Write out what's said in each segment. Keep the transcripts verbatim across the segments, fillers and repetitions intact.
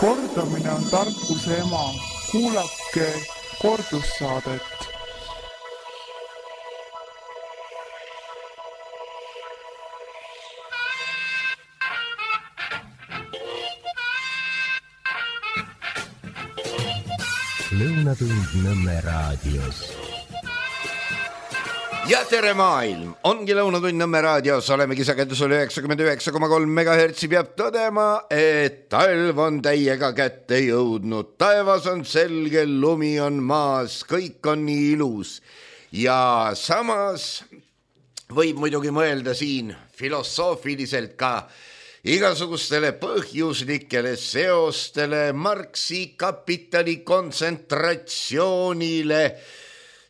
Kordamine on tarkuse ema. Kuulake kordussaadet. Lõunatund Nõmme raadios. Ja tere maailm, ongi Lõunatund Nõmme raadios, olemegi sagedusel üheksakümmend üheksa koma kolm megahertsi, peab tõdema, et talv on täiega kätte jõudnud, taevas on selge, lumi on maas, kõik on nii ilus ja samas võib muidugi mõelda siin filosoofiliselt ka igasugustele põhjuslikele seostele, Marxi kapitali kontsentratsioonile,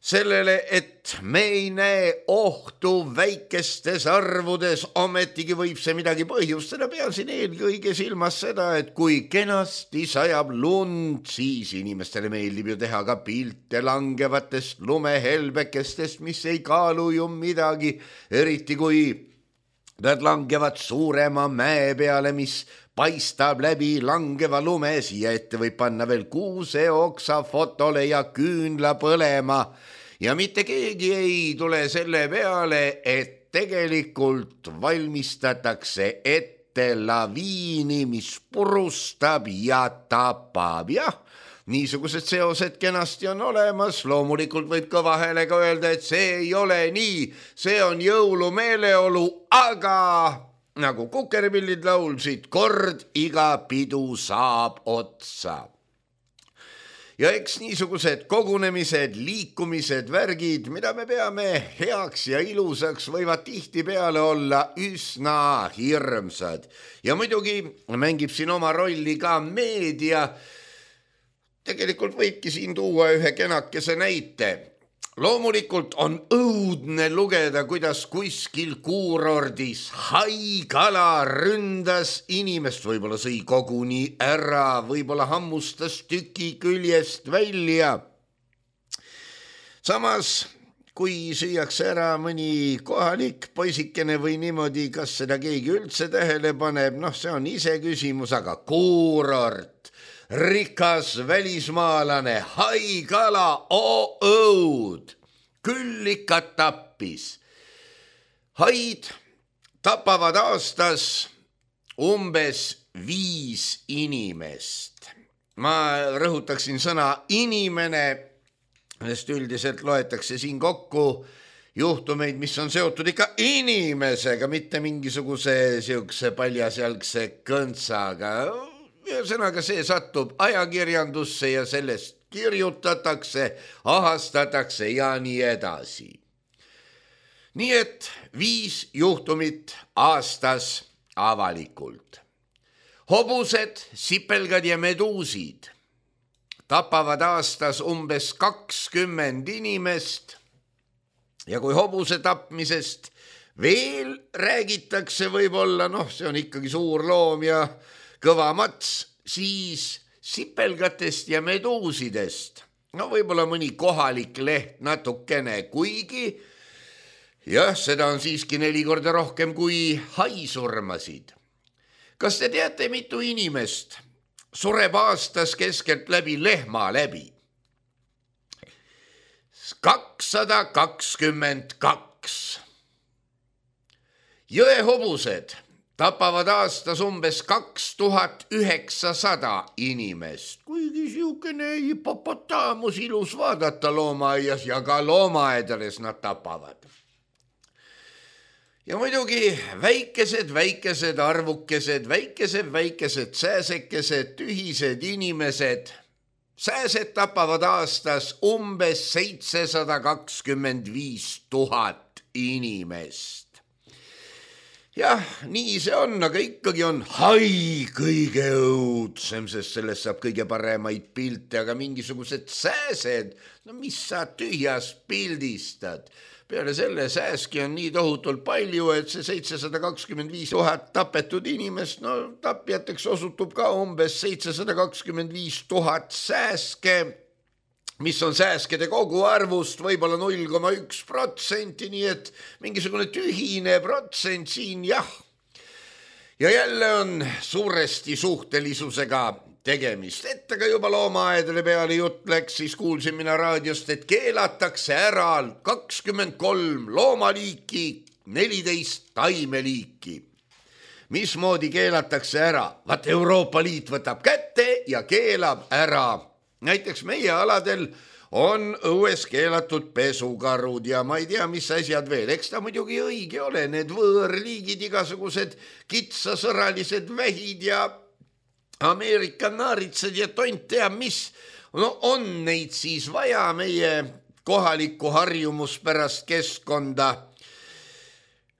sellele, et me ei näe ohtu väikestes arvudes, ometigi võib see midagi põhjustada. Pean siin eelkõige silmas seda, et kui kenasti sajab lund, siis inimestele meeldib ju teha ka pilte langevatest lumehelbekestest, mis ei kaalu ju midagi, eriti kui nad langevad suurema mäe peale, mis paistab läbi langeva lume, siia ette võib panna veel kuuse oksa fotole ja küünla põlema. Ja mitte keegi ei tule selle peale, et tegelikult valmistatakse ette laviini, mis purustab ja tapab. Jah, niisugused seosed kenasti on olemas, loomulikult võib ka vahele ka öelda, et see ei ole nii, see on jõulumeeleolu, aga nagu Kukerpillid laulsid, kord iga pidu saab otsa. Ja eks niisugused kogunemised, liikumised, värgid, mida me peame heaks ja ilusaks, võivad tihti peale olla üsna hirmsad. Ja muidugi mängib siin oma rolli ka meedia. Tegelikult võibki siin tuua ühe kenakese näite. Loomulikult on õudne lugeda, kuidas kuskil kuurordis haikala ründas inimest, võib-olla sõi koguni ära, võib-olla hammustas tüki küljest välja. Samas, kui süüakse ära mõni kohalik poisikene või niimoodi, kas seda keegi üldse tähele paneb, noh, see on ise küsimus, aga kuurort, rikas välismaalane, haikala, oo õud, küll ikka tappis. Haid tapavad aastas umbes viis inimest. Ma rõhutaksin sõna inimene, sest üldiselt loetakse siin kokku juhtumeid, mis on seotud ikka inimesega, mitte mingisuguse siukse paljasjalgse kõntsaga. Ühesõnaga see satub ajakirjandusse ja sellest kirjutatakse, ahastatakse ja nii edasi. Nii et viis juhtumit aastas avalikult. Hobused, sipelgad ja meduusid tapavad aastas umbes kakskümmend inimest ja kui hobuse tapmisest veel räägitakse võib-olla, noh, see on ikkagi suur loom ja kõva mats, siis sipelgatest ja meduusidest, no võib-olla mõni kohalik leht natukene, kuigi jah, seda on siiski neli korda rohkem kui haisurmasid. Kas te teate, mitu inimest sureb aastas keskelt läbi lehma läbi? kakssada kakskümmend kaks. Jõehobused tapavad aastas umbes kaks tuhat üheksasada inimest, kuigi siukene hipopotaamus ilus vaadata loomaaias ja ka loomaaedades nad tapavad. Ja muidugi väikesed, väikesed arvukesed, väikesed, väikesed sääsekesed, tühised inimesed, sääsed tapavad aastas umbes seitsesada kakskümmend viis tuhat inimest. Jah, nii see on, aga ikkagi on hai kõige õudsem, sest sellest saab kõige paremaid pilte, aga mingisugused sääsed, no mis sa tühjas pildistad? Peale selle sääski on nii tohutult palju, et see seitsesada kakskümmend viis tuhat tapetud inimest, no tapjateks osutub ka umbes seitsesada kakskümmend viis tuhat sääske, mis on sääskede koguarvust võib-olla null koma üks protsenti, nii et mingisugune tühine protsent siin, jah. ja jälle on suuresti suhtelisusega tegemist. Et aga juba loomaaedade peale jutt läks, siis kuulsin mina raadiost, et keelatakse ära kakskümmend kolm loomaliiki, neliteist taimeliiki. Mismoodi keelatakse ära? Vaat Euroopa Liit võtab kätte ja keelab ära. Näiteks meie aladel on õues keelatud pesukarud ja ma ei tea, mis asjad veel. Eks ta muidugi õige ole, need võõrliigid, igasugused kitsasõralised vähid ja Ameerika naaritsed ja tont teab mis. No on neid siis vaja meie kohalikku harjumuspärast keskkonda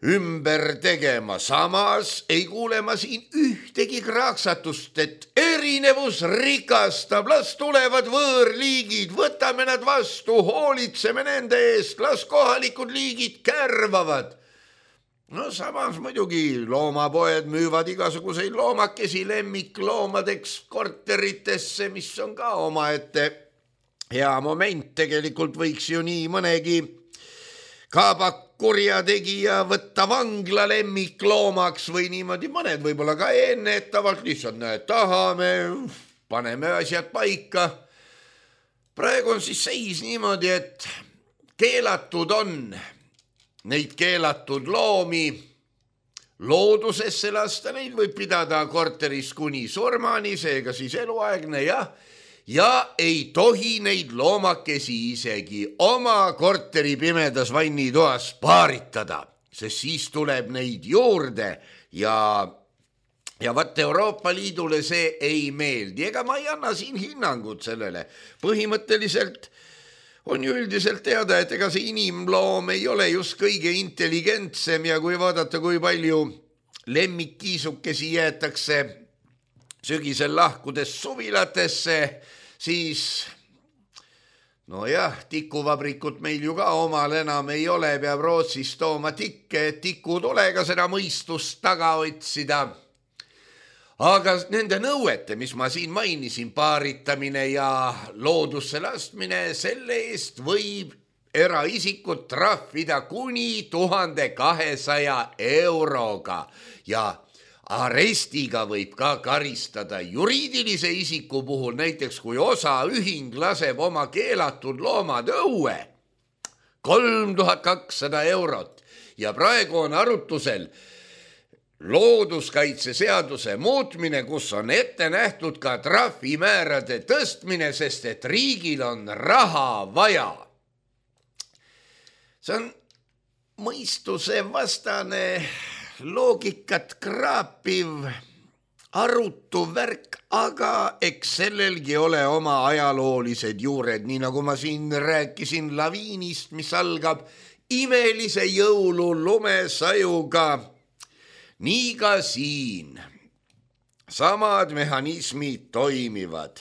ümber tegema. Samas ei kuule ma siin ühtegi kraaksatust, et erinevus rikastab, las tulevad võõrliigid, võtame nad vastu, hoolitseme nende eest, las kohalikud liigid kärvavad. No samas muidugi loomapoed müüvad igasuguseid loomakesi lemmikloomadeks korteritesse, mis on ka omaette hea moment. Tegelikult võiks ju nii mõnegi kaabak kurjategija võtta vangla lemmikloomaks või niimoodi mõned võib-olla ka ennetavalt lihtsalt näed, tahame, paneme asjad paika. Praegu on siis seis niimoodi, et keelatud on neid keelatud loomi loodusesse lasta, neid võib pidada korteris kuni surmani, seega siis eluaegne jah. Ja ei tohi neid loomakesi isegi oma korteri pimedas vannitoas paaritada, sest siis tuleb neid juurde ja, ja vaat Euroopa Liidule see ei meeldi. Ega ma ei anna siin hinnangut sellele. Põhimõtteliselt on ju üldiselt teada, et ega see inimloom ei ole just kõige intelligentsem ja kui vaadata, kui palju lemmikkiisukesi jäetakse sügisel lahkudes suvilatesse, siis no jah, tikuvabrikut meil ju ka omal enam ei ole, peab Rootsist tooma tikke, et tikutulega seda mõistust taga otsida. Aga nende nõuete, mis ma siin mainisin, paaritamine ja loodusse lastmine, selle eest võib eraisikud trahvida kuni tuhande kahesaja euroga ja arestiga võib ka karistada juriidilise isiku puhul, näiteks kui osaühing laseb oma keelatud loomad õue, kolm tuhat kakssada eurot ja praegu on arutusel looduskaitseseaduse muutmine, kus on ette nähtud ka trahvimäärade tõstmine, sest et riigil on raha vaja. See on mõistuse vastane loogikat kraapiv, arutu värk, aga eks sellelgi ole oma ajaloolised juured, nii nagu ma siin rääkisin laviinist, mis algab imelise jõulu lumesajuga. Nii ka siin samad mehhanismid toimivad.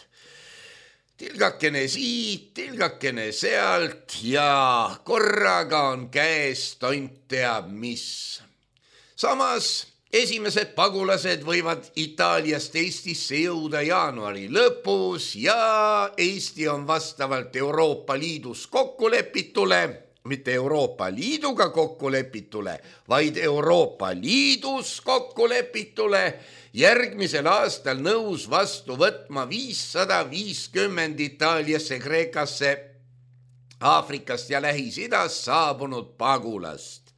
Tilgakene siit, tilgakene sealt ja korraga on käes tont teab mis. Samas esimesed pagulased võivad Itaaliast Eestisse jõuda jaanuari lõpus ja Eesti on vastavalt Euroopa Liidus kokkulepitule, mitte Euroopa Liiduga kokkulepitule, vaid Euroopa Liidus kokkulepitule järgmisel aastal nõus vastu võtma viissada viiskümmend Itaaliasse, Kreekasse, Aafrikast ja Lähis-Idast saabunud pagulast.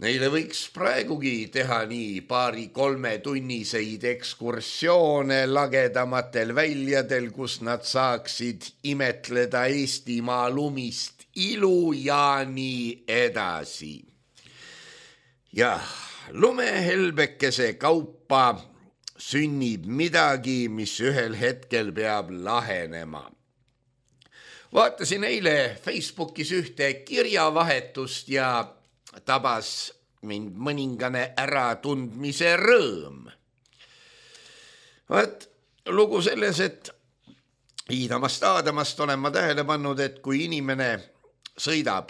Neile võiks praegugi teha nii paari kolme tunniseid ekskursioone lagedamatel väljadel, kus nad saaksid imetleda Eestimaa lumist ilu ja nii edasi. Jah, lumehelbekese kaupa sünnib midagi, mis ühel hetkel peab lahenema. Vaatasin eile Facebookis ühte kirjavahetust ja tabas mind mõningane äratundmise rõõm. Vaat lugu selles, et Iidamast Aadamast olen ma tähele pannud, et kui inimene sõidab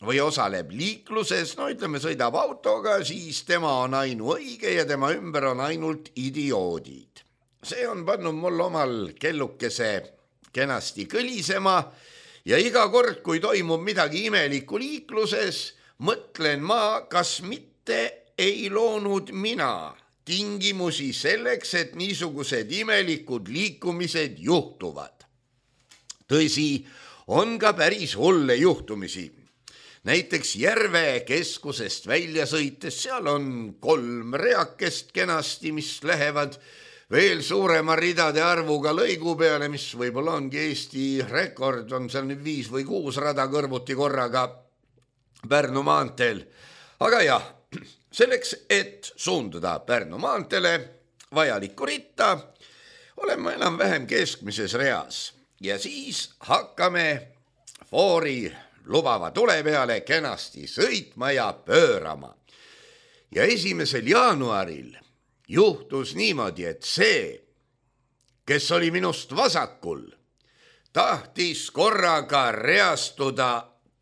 või osaleb liikluses, no ütleme sõidab autoga, siis tema on ainuõige ja tema ümber on ainult idioodid. See on pannud mul omal kellukese kenasti kõlisema ja iga kord, kui toimub midagi imelikku liikluses, mõtlen ma, kas mitte ei loonud mina tingimusi selleks, et niisugused imelikud liikumised juhtuvad. Tõsi, on ka päris hulle juhtumisi. Näiteks Järve keskusest välja sõites, seal on kolm reakest kenasti, mis lähevad veel suurema ridade arvuga lõigu peale, mis võib-olla ongi Eesti rekord, on seal nüüd viis või kuus rada kõrvuti korraga Pärnu maanteel. Aga jah, selleks, et suunduda Pärnu maanteele vajalikku ritta, oleme enam-vähem keskmises reas ja siis hakkame foori lubava tule peale kenasti sõitma ja pöörama. Ja esimesel jaanuaril juhtus niimoodi, et see, kes oli minust vasakul, tahtis korraga reastuda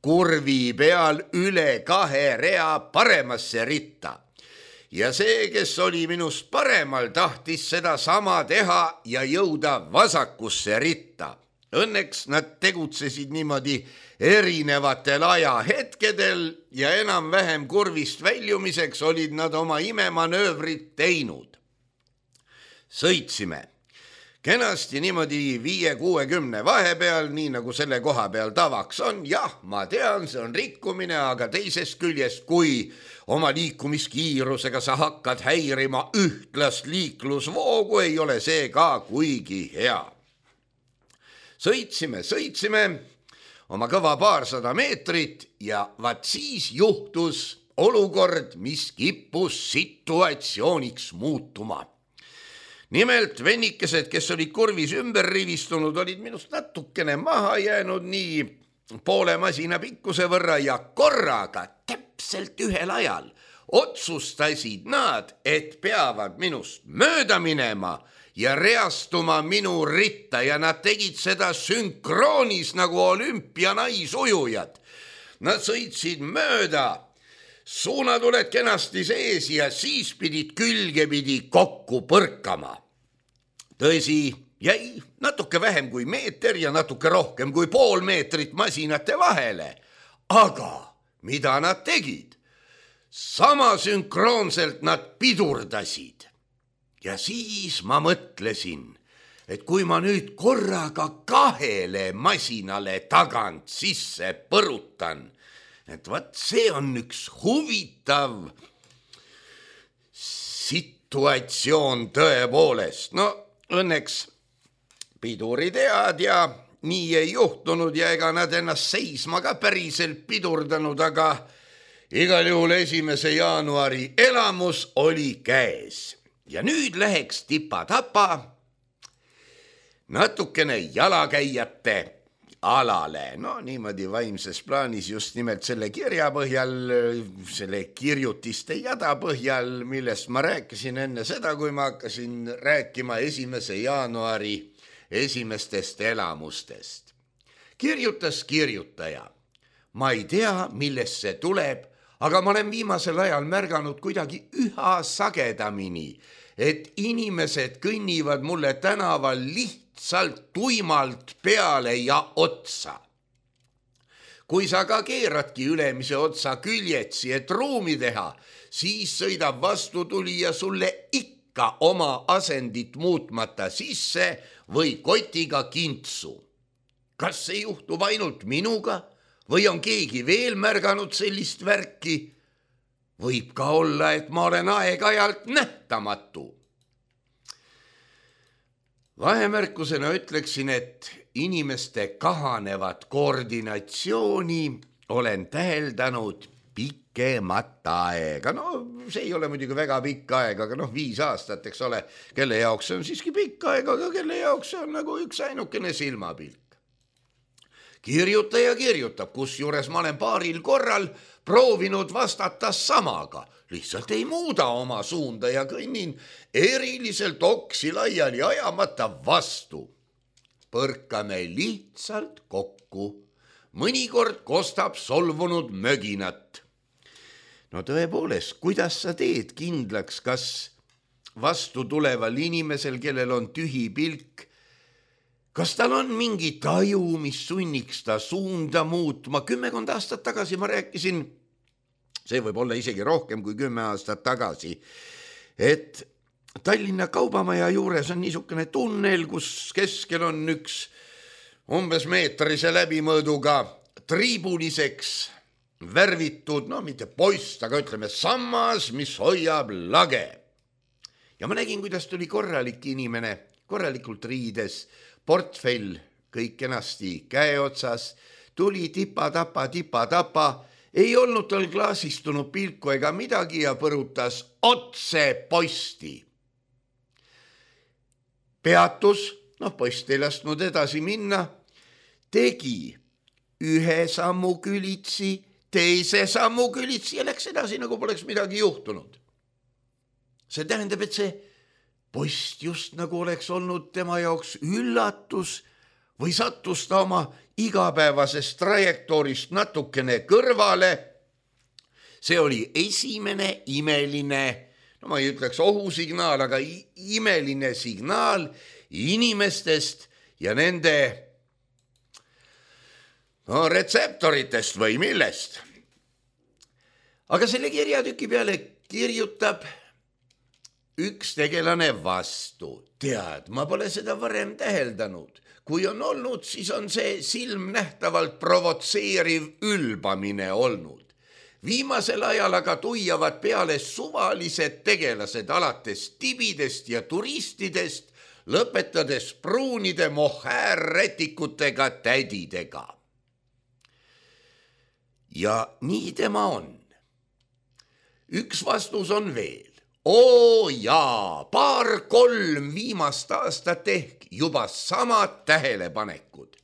kurvi peal üle kahe rea paremasse ritta. Ja see, kes oli minust paremal, tahtis seda sama teha ja jõuda vasakusse ritta. Õnneks nad tegutsesid niimoodi erinevatel ajahetkedel ja enam-vähem kurvist väljumiseks olid nad oma imemanöövrit teinud. Sõitsime kenasti niimoodi viie kuuekümne vahepeal, nii nagu selle koha peal tavaks on. Jah, ma tean, see on rikkumine, aga teisest küljest, kui oma liikumiskiirusega sa hakkad häirima ühtlast liiklusvoogu, ei ole see ka kuigi hea. Sõitsime, sõitsime oma kõva paarsada meetrit ja vaat siis juhtus olukord, mis kippus situatsiooniks muutuma. Nimelt vennikesed, kes olid kurvis ümber rivistunud, olid minust natukene maha jäänud nii poole masina pikkuse võrra ja korraga täpselt ühel ajal otsustasid nad, et peavad minust mööda minema ja reastuma minu ritta ja nad tegid seda sünkroonis nagu olümpianaisujujad. Nad sõitsid mööda, suunad oled kenasti sees ja siis pidid külgepidi kokku põrkama. Tõsi, jäi natuke vähem kui meeter ja natuke rohkem kui pool meetrit masinate vahele. Aga mida nad tegid? Sama sünkroonselt nad pidurdasid. Ja siis ma mõtlesin, et kui ma nüüd korraga kahele masinale tagant sisse põrutan, et vaat see on üks huvitav situatsioon tõepoolest. No õnneks pidurid head ja nii ei juhtunud ja ega nad ennast seisma ka päriselt pidurdanud, aga igal juhul esimese jaanuari elamus oli käes. Ja nüüd läheks tipa-tapa natukene jalakäijate alale. No niimoodi vaimses plaanis just nimelt selle kirja põhjal, selle kirjutiste jada põhjal, millest ma rääkisin enne seda, kui ma hakkasin rääkima esimese jaanuari esimestest elamustest. Kirjutas kirjutaja. Ma ei tea, millest see tuleb, aga ma olen viimasel ajal märganud kuidagi üha sagedamini, et inimesed kõnnivad mulle tänaval lihtsalt tuimalt peale ja otsa. Kui sa ka keeradki ülemise otsa küljetsi, et ruumi teha, siis sõidab vastutulija sulle ikka oma asendit muutmata sisse või kotiga kintsu. Kas see juhtub ainult minuga või on keegi veel märganud sellist värki? Võib ka olla, et ma olen aeg-ajalt nähtamatu. Vahemärkusena ütleksin, et inimeste kahanevat koordinatsiooni olen täheldanud pikemat aega. No see ei ole muidugi väga pikk aeg, aga noh, viis aastat, eks ole, kelle jaoks see on siiski pikk aeg, aga kelle jaoks see on nagu üks ainukene silmapilk. Kirjutaja kirjutab, kus juures ma olen paaril korral proovinud vastata samaga. Lihtsalt ei muuda oma suunda ja kõnnin eriliselt oksi laiali ajamata vastu. Põrkame lihtsalt kokku. Mõnikord kostab solvunud möginat. No tõepoolest, kuidas sa teed kindlaks, kas vastu tuleval inimesel, kellel on tühi pilk, kas tal on mingi taju, mis sunniks ta suunda muutma? Kümmekond aastat tagasi ma rääkisin see võib olla isegi rohkem kui kümme aastat tagasi, et Tallinna Kaubamaja juures on niisugune tunnel, kus keskel on üks umbes meetrise läbimõõduga triibuliseks värvitud, no mitte poist, aga ütleme sammas, mis hoiab lage. Ja ma nägin, kuidas tuli korralik inimene, korralikult riides, portfell kõik kenasti käe otsas, tuli tipa-tapa, tipa-tapa, ei olnud tal klaasistunud pilku ega midagi ja põrutas otse posti. Peatus, noh post ei lasknud edasi minna, tegi ühe sammu külitsi, teise sammu külitsi ja läks edasi, nagu poleks midagi juhtunud. See tähendab, et see post just nagu oleks olnud tema jaoks üllatus või sattus ta oma igapäevasest trajektoorist natukene kõrvale. See oli esimene imeline, no ma ei ütleks ohusignaal, aga imeline signaal inimestest ja nende no, retseptoritest või millest. Aga selle kirjatüki peale kirjutab üks tegelane vastu. Tead, ma pole seda varem täheldanud. Kui on olnud, siis on see silmnähtavalt provotseeriv ülbamine olnud. Viimasel ajal aga tuiavad peale suvalised tegelased alates tibidest ja turistidest, lõpetades pruunide mohaärretikutega tädidega. Ja nii tema on. Üks vastus on veel. Oo jaa, paar-kolm viimast aastat ehk juba samad tähelepanekud.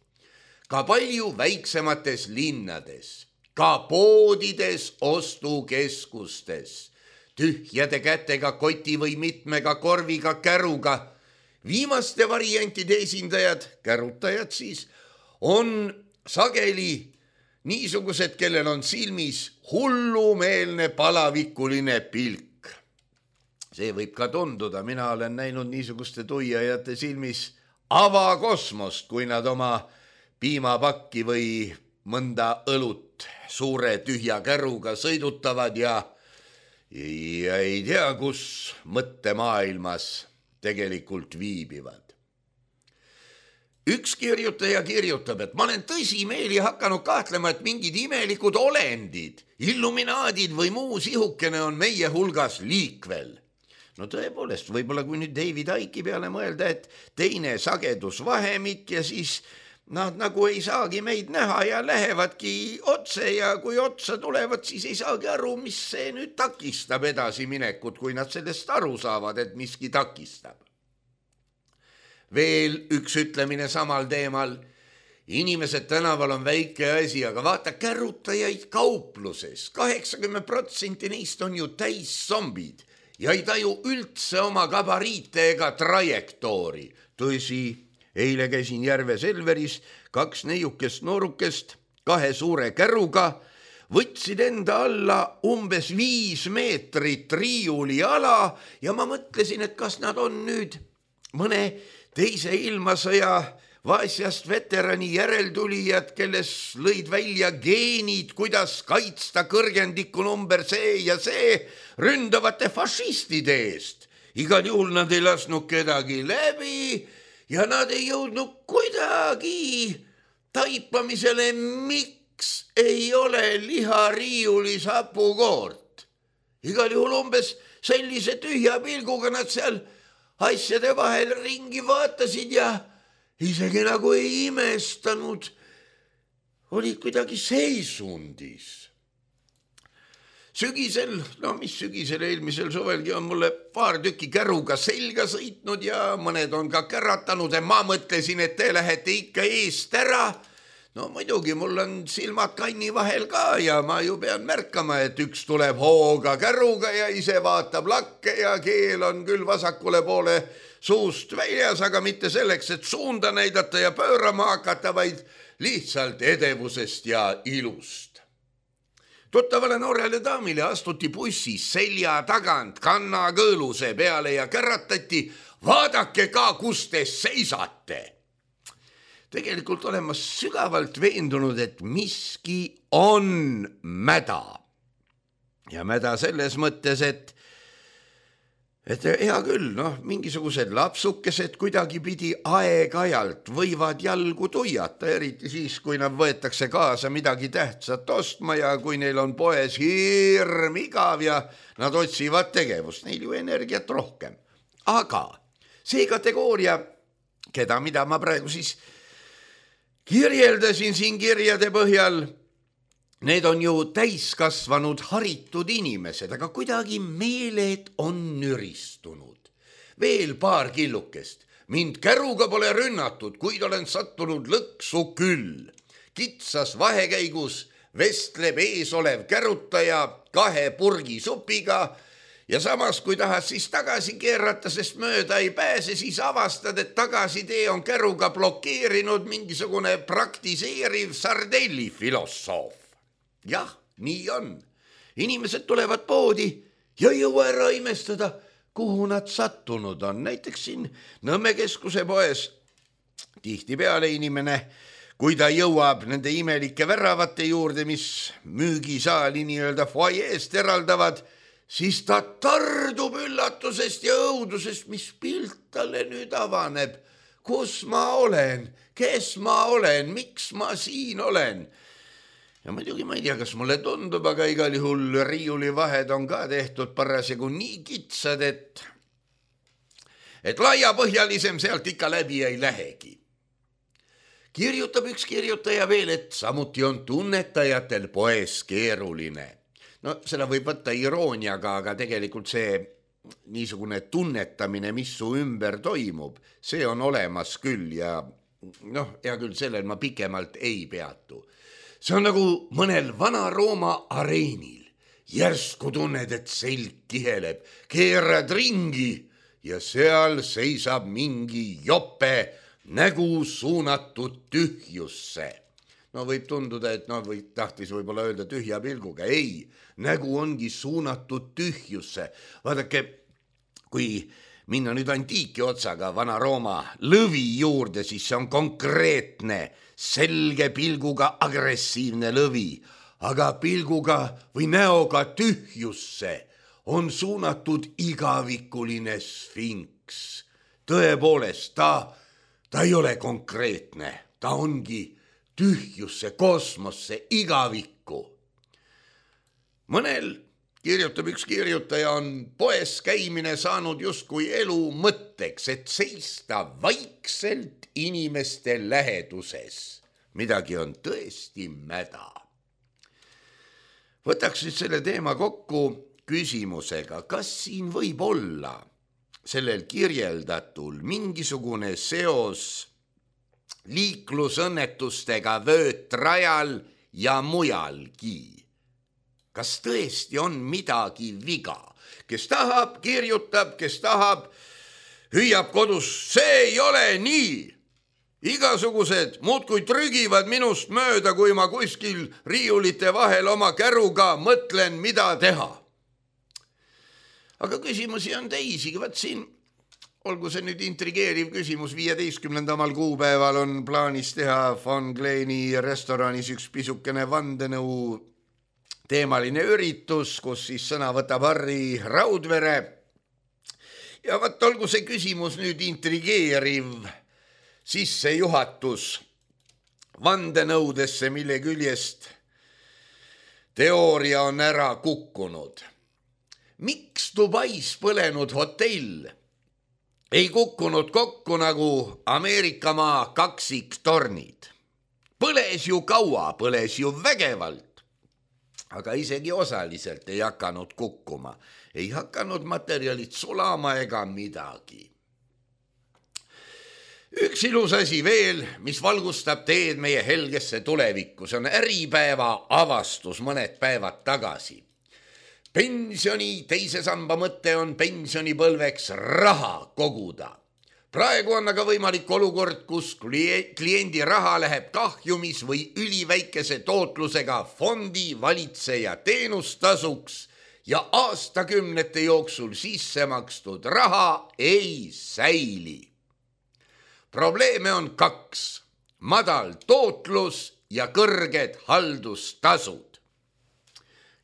Ka palju väiksemates linnades, ka poodides, ostukeskustes, tühjade kätega koti või mitmega korviga käruga. Viimaste variantide esindajad, kärutajad siis, on sageli niisugused, kellel on silmis hullumeelne palavikuline pilk. See võib ka tunduda, mina olen näinud niisuguste tuiajate silmis avakosmost, kui nad oma piimapakki või mõnda õlut suure tühja käruga sõidutavad ja, ja ei tea, kus mõttemaailmas tegelikult viibivad. Üks kirjutaja kirjutab, et ma olen tõsimeeli hakanud kahtlema, et mingid imelikud olendid, illuminaadid või muu sihukene on meie hulgas liikvel. No tõepoolest, võib-olla kui nüüd David Icke'i peale mõelda, et teine sagedusvahemik ja siis nad nagu ei saagi meid näha ja lähevadki otse ja kui otsa tulevad, siis ei saagi aru, mis see nüüd takistab edasiminekut, kui nad sellest aru saavad, et miski takistab. Veel üks ütlemine samal teemal. Inimesed tänaval on väike asi, aga vaata kärutajaid kaupluses. kaheksakümmend protsenti neist on ju täis zombid ja ei taju üldse oma gabariite ega trajektoori. Tõsi, eile käisin Järve Selveris, kaks neiukest noorukest, kahe suure käruga, võtsid enda alla umbes viis meetrit riiuli ala ja ma mõtlesin, et kas nad on nüüd mõne teise ilmasõja vaasjast veterani järeltulijad, kelles lõid välja geenid, kuidas kaitsta kõrgendikku number see ja see ründavate fašistide eest. Igal juhul nad ei lasknud kedagi läbi ja nad ei jõudnud kuidagi taipamisele, miks ei ole lihariiulis hapukoort. Igal juhul umbes sellise tühja pilguga nad seal asjade vahel ringi vaatasid ja isegi nagu ei imestanud, olid kuidagi seisundis. Sügisel, no mis sügisel, eelmisel suvelgi on mulle paar tükki käruga selga sõitnud ja mõned on ka käratanud ja ma mõtlesin, et te lähete ikka eest ära. No muidugi, mul on silmad kanni vahel ka ja ma ju pean märkama, et üks tuleb hooga käruga ja ise vaatab lakke ja keel on küll vasakule poole suust väljas, aga mitte selleks, et suunda näidata ja pöörama hakata, vaid lihtsalt edevusest ja ilust. Tuttavale noorele daamile astuti bussis selja tagant kannakõõluse peale ja käratati, vaadake ka, kus te seisate. Tegelikult olen ma sügavalt veendunud, et miski on mäda. ja mäda selles mõttes, et et hea küll, noh, mingisugused lapsukesed kuidagi pidi aeg-ajalt võivad jalgu tuiata, eriti siis, kui nad võetakse kaasa midagi tähtsat ostma ja kui neil on poes hirm igav ja nad otsivad tegevust, neil ju energiat rohkem. Aga see kategooria, keda, mida ma praegu siis kirjeldasin siin kirjade põhjal, need on ju täiskasvanud haritud inimesed, aga kuidagi meeled on nüristunud. Veel paar killukest. Mind käruga pole rünnatud, kuid olen sattunud lõksu küll. Kitsas vahekäigus vestleb ees olev kärutaja kahe purgi supiga ja samas, kui tahad siis tagasi keerata, sest mööda ei pääse, siis avastad, et tagasitee on käruga blokeerinud mingisugune praktiseeriv sardelli filosoof. Jah, nii on. Inimesed tulevad poodi ja ei jõua ära imestada, kuhu nad sattunud on. Näiteks siin Nõmme keskuse poes tihtipeale inimene, kui ta jõuab nende imelike väravate juurde, mis müügisaali nii-öelda foajeest eraldavad, siis ta tardub üllatusest ja õudusest, mis pilt talle nüüd avaneb. Kus ma olen? Kes ma olen? Miks ma siin olen? Ja muidugi ma ei tea, kas mulle tundub, aga igal juhul riiuli vahed on ka tehtud parasjagu nii kitsad, et, et laiapõhjalisem sealt ikka läbi ei lähegi. Kirjutab üks kirjutaja veel, et samuti on tunnetajatel poes keeruline. No seda võib võtta irooniaga, aga tegelikult see niisugune tunnetamine, mis su ümber toimub, see on olemas küll ja noh, hea küll, sellel ma pikemalt ei peatu. See on nagu mõnel Vana-Rooma areenil. Järsku tunned, et selg kiheleb, keerad ringi ja seal seisab mingi jope nägu suunatud tühjusse. No võib tunduda, et no, või tahtis võib-olla öelda tühja pilguga. Ei, nägu ongi suunatud tühjusse. Vaadake, kui minna nüüd antiiki otsaga Vana-Rooma lõvi juurde, siis see on konkreetne, selge pilguga agressiivne lõvi, aga pilguga või näoga tühjusse on suunatud igavikuline sfinks. Tõepoolest, ta, ta ei ole konkreetne, ta ongi tühjusse, kosmosse, igavikku. Mõnel, kirjutab üks kirjutaja, on poes käimine saanud justkui elu mõtteks, et seista vaikselt inimeste läheduses. Midagi on tõesti mäda. Võtaks nüüd selle teema kokku küsimusega, kas siin võib olla sellel kirjeldatul mingisugune seos liiklusõnnetustega vöötrajal ja mujalgi. Kas tõesti on midagi viga? Kes tahab, kirjutab, kes tahab, hüüab kodus, see ei ole nii. Igasugused muudkui trügivad minust mööda, kui ma kuskil riiulite vahel oma käruga mõtlen, mida teha. Aga küsimusi on teisigi, vaat siin, olgu see nüüd intrigeeriv küsimus, viieteistkümnendamal kuupäeval on plaanis teha Von Kleini restoranis üks pisukene vandenõu teemaline üritus, kus siis sõna võtab Harri Raudvere. Ja vaat olgu see küsimus nüüd intrigeeriv sissejuhatus vandenõudesse, mille küljest teooria on ära kukkunud. Miks Dubais põlenud hotell ei kukkunud kokku nagu Ameerikamaa kaksiktornid? Põles ju kaua, põles ju vägevalt, aga isegi osaliselt ei hakanud kukkuma. Ei hakanud materjalid sulama ega midagi. Üks ilus asi veel, mis valgustab teed meie helgesse tulevikku, see on Äripäeva avastus mõned päevad tagasi. Pensioni teise samba mõte on pensionipõlveks raha koguda. Praegu on aga võimalik olukord, kus kliendi raha läheb kahjumis või üliväikese tootlusega fondi valitseja teenustasuks ja aastakümnete jooksul sisse makstud raha ei säili. Probleeme on kaks, madal tootlus ja kõrged haldustasud.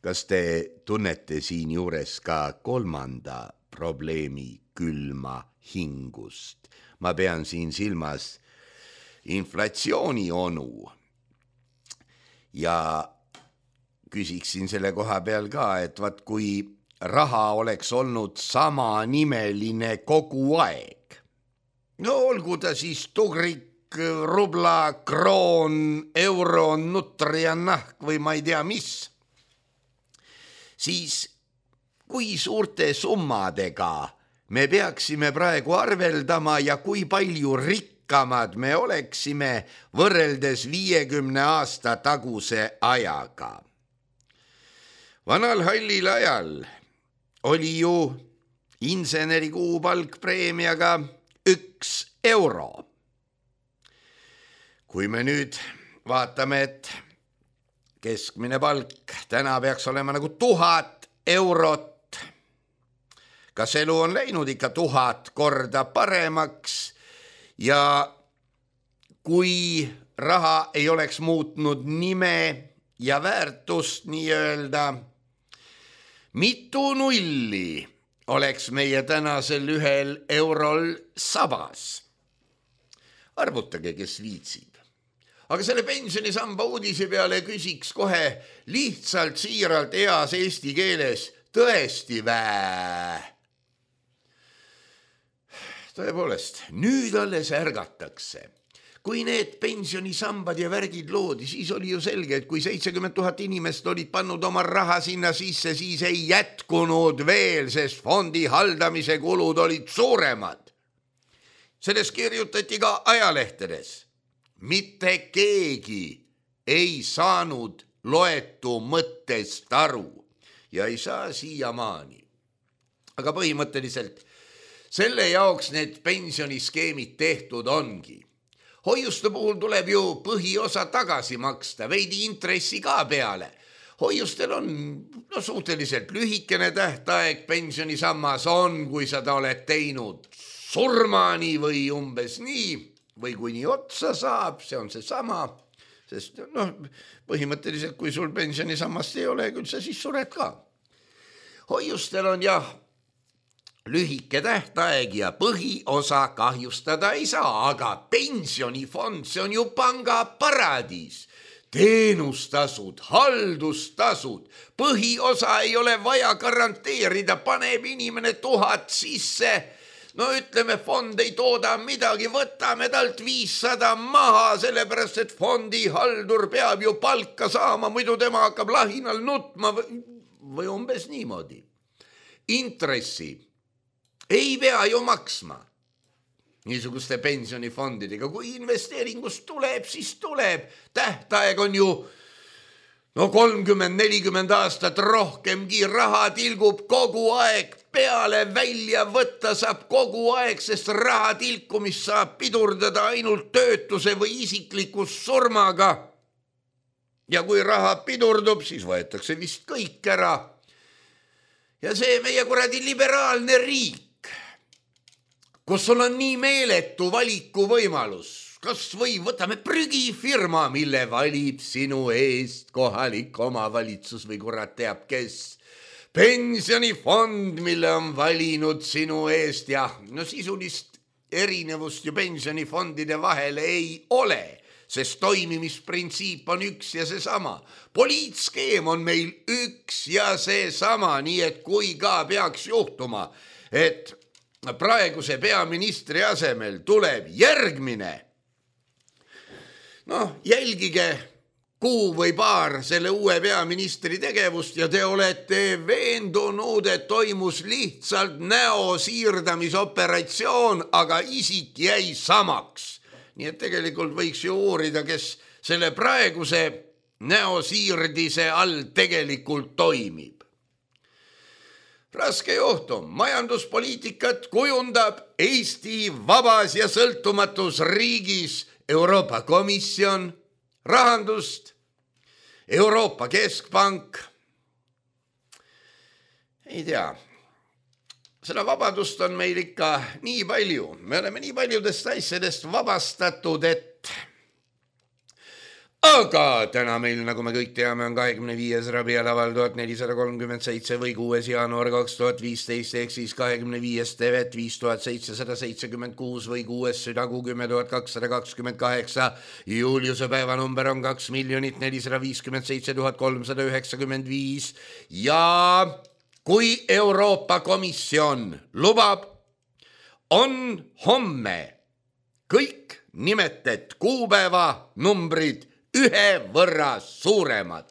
kas te tunnete siin juures ka kolmanda probleemi külma hingust? Ma pean siin silmas inflatsiooni onu. Ja küsiksin selle koha peal ka, et vaat kui raha oleks olnud sama nimeline kogu aeg, no olgu ta siis tugrik, rubla, kroon, euro, nutri ja nahk või ma ei tea mis, siis kui suurte summadega me peaksime praegu arveldama ja kui palju rikkamad me oleksime võrreldes viiekümne aasta taguse ajaga. Vanal hallil ajal oli ju inseneri kuupalk preemiaga üks euro. Kui me nüüd vaatame, et keskmine palk täna peaks olema nagu tuhat eurot, kas elu on läinud ikka tuhat korda paremaks ja kui raha ei oleks muutnud nime ja väärtust nii-öelda, mitu nulli oleks meie tänasel ühel eurol sabas? Arvutage, kes viitsib. Aga selle pensionisamba uudise peale küsiks kohe lihtsalt siiralt heas eesti keeles tõesti vää. Tõepoolest, nüüd alles ärgatakse. Kui need pensionisambad ja värgid loodi, siis oli ju selge, et kui seitsekümmend tuhat inimest olid pannud oma raha sinna sisse, siis ei jätkunud veel, sest fondi haldamise kulud olid suuremad. Selles kirjutati ka ajalehtedes. Mitte keegi ei saanud loetu mõttest aru ja ei saa siiamaani. Aga põhimõtteliselt selle jaoks need pensioniskeemid tehtud ongi. Hoiuste puhul tuleb ju põhiosa tagasi maksta, veidi intressi ka peale. Hoiustel on no, suhteliselt lühikene tähtaeg, pensionisammas on, kui sa ta oled teinud surmani või umbes nii, või kui nii otsa saab, see on see sama, sest noh, põhimõtteliselt kui sul pensionisammast ei ole, küll sa siis sured ka. Hoiustel on jah, lühike tähtaeg ja põhiosa kahjustada ei saa, aga pensionifond, see on ju panga paradiis. Teenustasud, haldustasud, põhiosa ei ole vaja garanteerida, paneb inimene tuhat sisse. No ütleme, fond ei tooda midagi, võtame talt viissada maha, sellepärast et fondi haldur peab ju palka saama, muidu tema hakkab lahinal nutma või, või umbes niimoodi. Intressi ei pea ju maksma niisuguste pensionifondidega. Kui investeeringust tuleb, siis tuleb. Tähtaeg on ju no kolmkümmend nelikümmend aastat rohkemgi, raha tilgub kogu aeg peale, välja võtta saab kogu aeg, sest raha tilkumist saab pidurdada ainult töötuse või isiklikus surmaga. Ja kui raha pidurdub, siis võetakse vist kõik ära. Ja see meie kuradi liberaalne riik, kus sul on nii meeletu valiku võimalus, kas või võtame prügifirma, mille valib sinu eest kohalik omavalitsus või kurat teab kes, pensionifond, mille on valinud sinu eest ja no sisulist erinevust ju pensionifondide vahele ei ole, sest toimimisprintsiip on üks ja seesama. Poliitskeem on meil üks ja seesama, nii et kui ka peaks juhtuma, et praeguse peaministri asemel tuleb järgmine. Noh, jälgige kuu või paar selle uue peaministri tegevust ja te olete veendunud, et toimus lihtsalt näo siirdamisoperatsioon, aga isik jäi samaks. Nii et tegelikult võiks ju uurida, kes selle praeguse näo siirdise all tegelikult toimib. Raske juhtum, majanduspoliitikat kujundab Eesti vabas ja sõltumatus riigis Euroopa Komisjon, rahandust, Euroopa Keskpank. Ei tea, seda vabadust on meil ikka nii palju. Me oleme nii paljudest asjadest vabastatud, et aga täna meil, nagu me kõik teame, on kahekümne viies Rabiul Awwal tuhat nelisada kolmkümmend seitse või kuues jaanuar kaks tuhat viisteist ehk siis kahekümne viies Tevet viis tuhat seitsesada seitsekümmend kuus või kuues Südagu kümme tuhat kakssada kakskümmend kaheksa. Juliuse päevanumber on kaks miljonit nelisada viiskümmend seitse tuhat kolmsada üheksakümmend viis ja kui Euroopa Komisjon lubab, on homme kõik nimetet kuupäeva numbrid ühe võrra suuremad.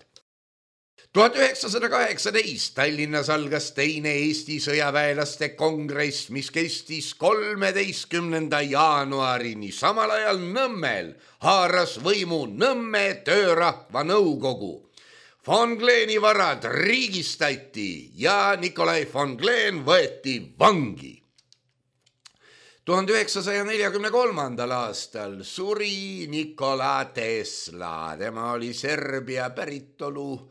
tuhat üheksasada kaheksateist Tallinnas algas teine Eesti sõjaväelaste kongress, mis kestis kolmeteistkümnenda jaanuarini. Samal ajal Nõmmel haaras võimu Nõmme töörahva nõukogu. Von Gleni varad riigistati ja Nikolai von Glen võeti vangi. tuhande üheksasaja neljakümne kolmandal aastal suri Nikola Tesla. Tema oli Serbia päritolu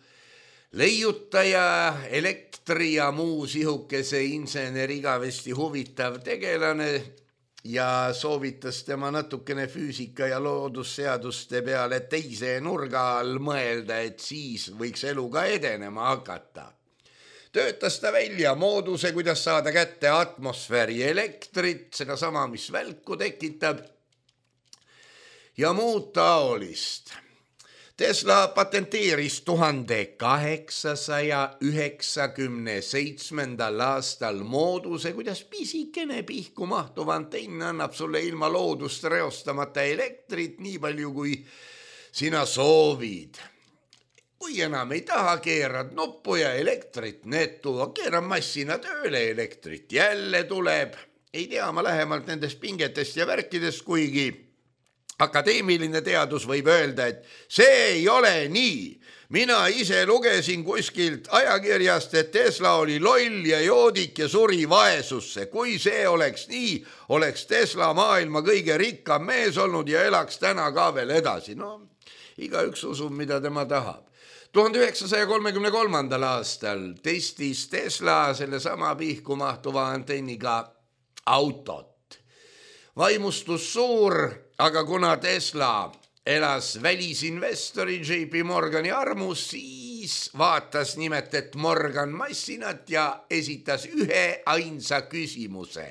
leiutaja, elektri ja muu sihukese inseneri igavesti huvitav tegelane ja soovitas tema natukene füüsika ja loodusseaduste peale teise nurga all mõelda, et siis võiks eluga edenema hakata. Töötas ta välja mooduse, kuidas saada kätte atmosfääri elektrit, seda sama, mis välku tekitab ja muud taolist. Tesla patenteeris tuhande kaheksasaja üheksakümne seitsmendal aastal mooduse, kuidas pisikene pihku mahtuv antenn annab sulle ilma loodust reostamata elektrit nii palju, kui sina soovid. Kui enam ei taha, keerad nuppu ja elektrit netu, keeran massina tööle, elektrit jälle tuleb. Ei tea ma lähemalt nendest pingetest ja värkidest, kuigi akadeemiline teadus võib öelda, et see ei ole nii. Mina ise lugesin kuskilt ajakirjast, et Tesla oli loll ja joodik ja suri vaesusse. Kui see oleks nii, oleks Tesla maailma kõige rikkam mees olnud ja elaks täna ka veel edasi. No, igaüks usub, mida tema tahab. tuhande üheksasaja kolmekümne kolmandal aastal testis Tesla selle sama pihku mahtuva antenniga autot. Vaimustus suur, aga kuna Tesla elas välisinvestori J P Morgani armus, siis vaatas nimelt, et Morgan massinat ja esitas ühe ainsa küsimuse.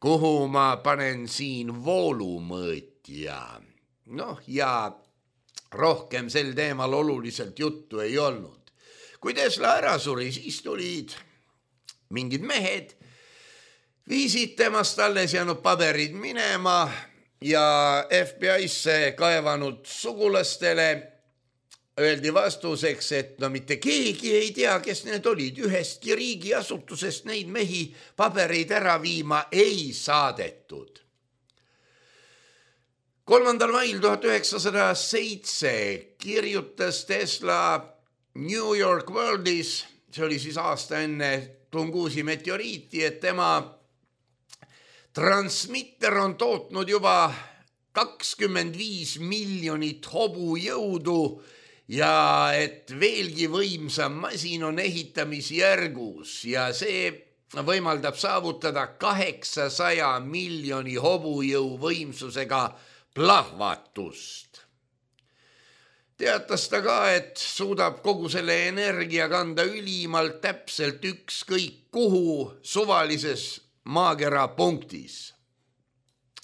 Kuhu ma panen siin voolumõõtja? Noh, ja rohkem sel teemal oluliselt juttu ei olnud. Kui Tesla ära suri, siis tulid mingid mehed, viisid temast alles jäänud paberid minema ja F B I-sse kaevanud sugulastele öeldi vastuseks, et no mitte keegi ei tea, kes need olid. Ühestki riigiasutusest neid mehi pabereid ära viima ei saadetud. kolmandal mail tuhat üheksasada seitse kirjutas Tesla New York Worldis, see oli siis aasta enne Tungusi meteoriiti, et tema transmitter on tootnud juba kakskümmend viis miljonit hobujõudu ja et veelgi võimsam masin on ehitamisjärgus ja see võimaldab saavutada kaheksasaja miljoni hobujõu võimsusega plahvatust. Teatas ta ka, et suudab kogu selle energia kanda ülimalt täpselt ükskõik kuhu suvalises maakera punktis.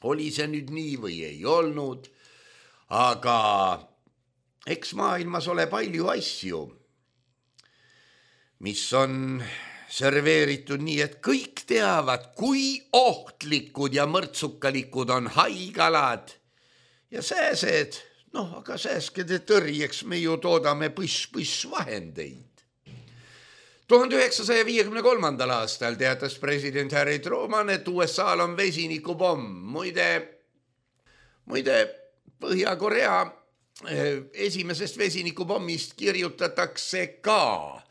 Oli see nüüd nii või ei olnud, aga eks maailmas ole palju asju, mis on serveeritud nii, et kõik teavad, kui ohtlikud ja mõrtsukalikud on haigalad ja sääsed, noh, aga sääskede tõrjeks me ju toodame põss-põss vahendeid. tuhande üheksasaja viiekümne kolmandal aastal teatas president Harry Truman, et U S A-l on vesinikupomm. Muide, muide Põhja-Korea esimesest vesinikupommist kirjutatakse ka.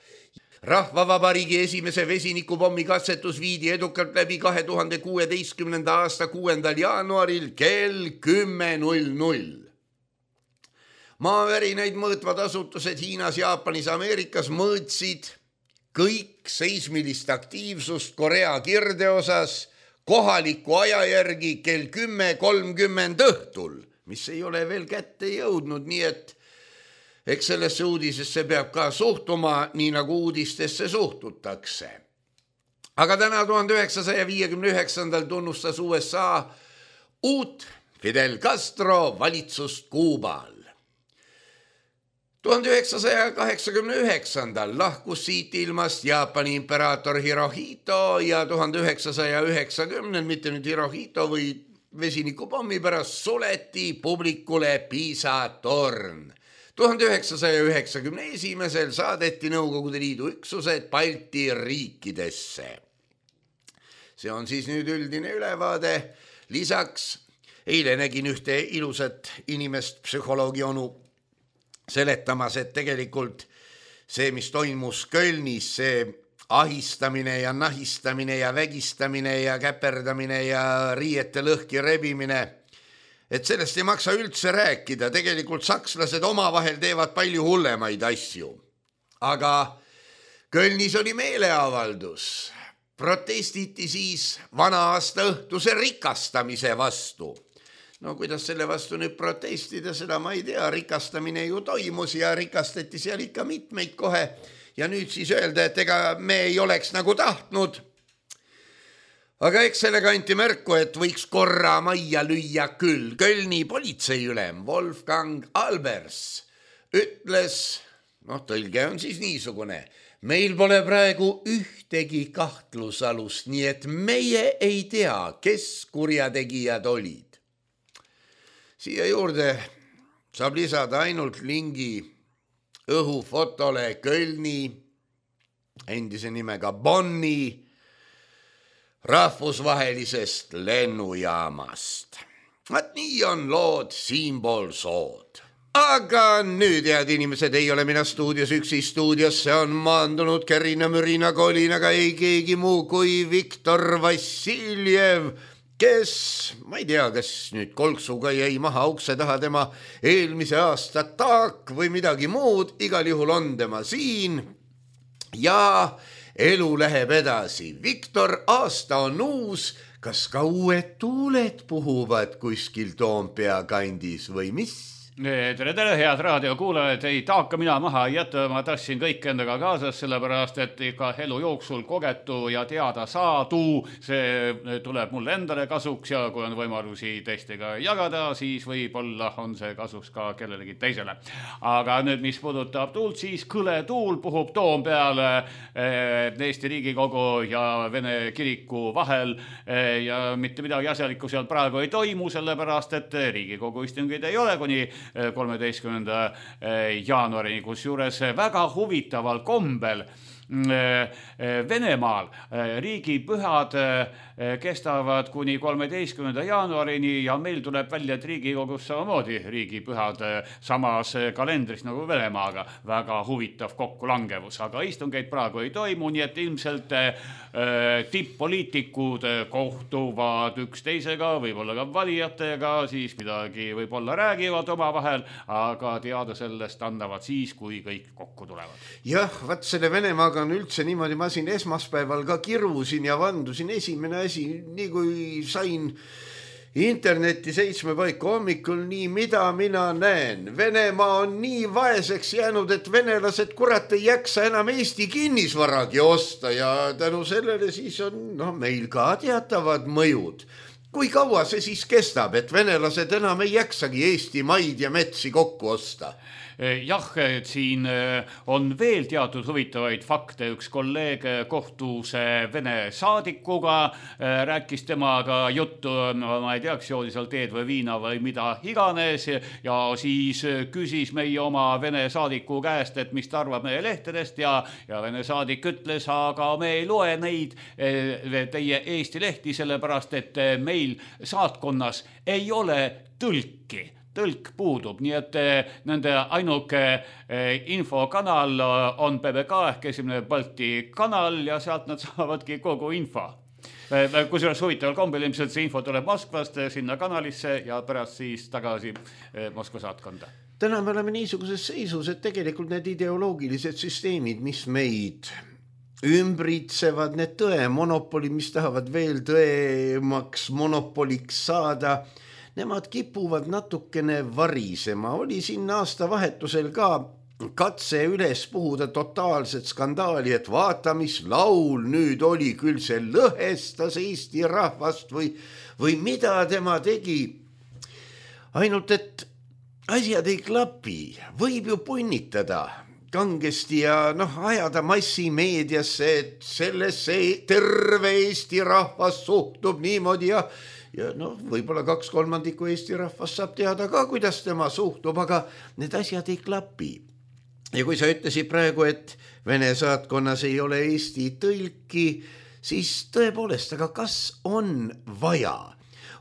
Rahvavabariigi esimese vesinikupommi katsetus viidi edukalt läbi kahe tuhande kuueteistkümnenda aasta kuuendal jaanuaril kell kümme null null. Maavärinaid mõõtvad asutused Hiinas, Jaapanis, Ameerikas mõõtsid kõik seismilist aktiivsust Korea kirdeosas kohaliku aja järgi kell kümme kolmkümmend õhtul mis ei ole veel kätte jõudnud, nii et eks sellesse uudisesse peab ka suhtuma, nii nagu uudistesse suhtutakse. Aga täna tuhande üheksasaja viiekümne üheksandal tunnustas U S A uut Fidel Castro valitsust Kuubal. tuhande üheksasaja kaheksakümne üheksandal lahkus siit ilmast Jaapani imperaator Hirohito ja tuhande üheksasaja üheksakümnendal, mitte nüüd Hirohito või vesinikupommi pärast, suleti publikule Piisa torn. tuhande üheksasaja üheksakümne esimesel saadeti Nõukogude Liidu üksused Balti riikidesse. See on siis nüüd üldine ülevaade. Lisaks eile nägin ühte ilusat inimest, psühholoogi onu, seletamas, et tegelikult see, mis toimus Kölnis, see ahistamine ja nahistamine ja vägistamine ja käperdamine ja riiete lõhki rebimine, et sellest ei maksa üldse rääkida. Tegelikult sakslased omavahel teevad palju hullemaid asju. Aga Kölnis oli meeleavaldus. Protestiti siis vana aasta õhtuse rikastamise vastu. No kuidas selle vastu nüüd protestida, seda ma ei tea, rikastamine ju toimus ja rikastati seal ikka mitmeid kohe ja nüüd siis öelda, et ega me ei oleks nagu tahtnud. Aga eks sellega anti märku, et võiks korra majja lüüa küll. Kölni politseiülem Wolfgang Albers ütles, noh tõlge on siis niisugune, meil pole praegu ühtegi kahtlusalust, nii et meie ei tea, kes kurjategijad olid. Siia juurde saab lisada ainult lingi õhufotole Kölni, endise nimega Bonni, rahvusvahelisest lennujaamast. Vaat nii on lood siinpool sood. Aga nüüd, head inimesed, ei ole mina stuudios üksi. Stuudiosse on maandunud Kerina Mürina Kolinaga ei keegi muu kui Viktor Vassiljev, kes, ma ei tea, kas nüüd kolksuga jäi maha ukse taha tema eelmise aasta taak või midagi muud, igal juhul on tema siin ja elu läheb edasi. Viktor, aasta on uus, kas ka uued tuuled puhuvad kuskil Toompea kandis või mis? Tere, tere, head raadiokuulajad, ei taaka mina maha ei jätta, ma tassin kõik endaga kaasas, sellepärast et ikka elu jooksul kogetu ja teada saadu, see tuleb mulle endale kasuks ja kui on võimalusi teistega jagada, siis võib-olla on see kasuks ka kellelegi teisele. Aga nüüd, mis puudutab tuult, siis kõle tuul puhub Toompeale Eesti Riigikogu ja Vene kiriku vahel ja mitte midagi asjalikku seal praegu ei toimu, sellepärast et Riigikogu istungid ei ole kuni kolmeteistkümnenda jaanuarini, kus juures väga huvitaval kombel Venemaal riigipühad kestavad kuni kolmeteistkümnenda jaanuarini ja meil tuleb välja, et Riigikogus samamoodi riigipühad samas kalendris nagu Venemaaga. Väga huvitav kokkulangevus, aga istungeid praegu ei toimu, nii et ilmselt tipp-poliitikud kohtuvad üksteisega, võib-olla ka valijatega, siis midagi võib-olla räägivad omavahel, aga teada sellest annavad siis, kui kõik kokku tulevad. Jah, vaat selle Venemaaga on üldse niimoodi, ma siin esmaspäeval ka kirusin ja vandusin. Esimene asi, nii kui sain interneti seitsme paiku hommikul, nii mida mina näen. Venemaa on nii vaeseks jäänud, et venelased kurat ei jaksa enam Eesti kinnisvaragi osta ja tänu sellele siis on no, meil ka teatavad mõjud. Kui kaua see siis kestab, et venelased enam ei jaksagi Eesti maid ja metsi kokku osta? Jah, siin on veel teatud huvitavaid fakte. Üks kolleeg kohtus Vene saadikuga, rääkis temaga juttu, no, ma ei teaks, joodi seal teed või viina või mida iganes ja siis küsis meie oma Vene saadiku käest, et mis ta arvab meie lehtedest ja, ja Vene saadik ütles, aga me ei loe neid teie Eesti lehti, sellepärast et meil saatkonnas ei ole tõlki. Tõlk puudub, nii et nende ainuke infokanal on P B K ehk esimene Balti kanal ja sealt nad saavadki kogu info. Kusjuures huvitaval kombel ilmselt see info tuleb Moskvast sinna kanalisse ja pärast siis tagasi Moskva saatkonda. Täna me oleme niisuguses seisus, et tegelikult need ideoloogilised süsteemid, mis meid ümbritsevad, need tõe monopolid, mis tahavad veel tõemaks monopoliks saada, nemad kipuvad natukene varisema. Oli siin aastavahetusel ka katse üles puhuda totaalset skandaali, et vaata, mis laul nüüd oli, küll see lõhestas Eesti rahvast või, või mida tema tegi. Ainult, et asjad ei klapi, võib ju punnitada kangesti ja noh, ajada massimeediasse, et sellesse terve Eesti rahvas suhtub niimoodi ja, ja noh, võib-olla kaks kolmandikku Eesti rahvas saab teada ka, kuidas tema suhtub, aga need asjad ei klapi. Ja kui sa ütlesid praegu, et Vene saatkonnas ei ole Eesti tõlki, siis tõepoolest, aga kas on vaja?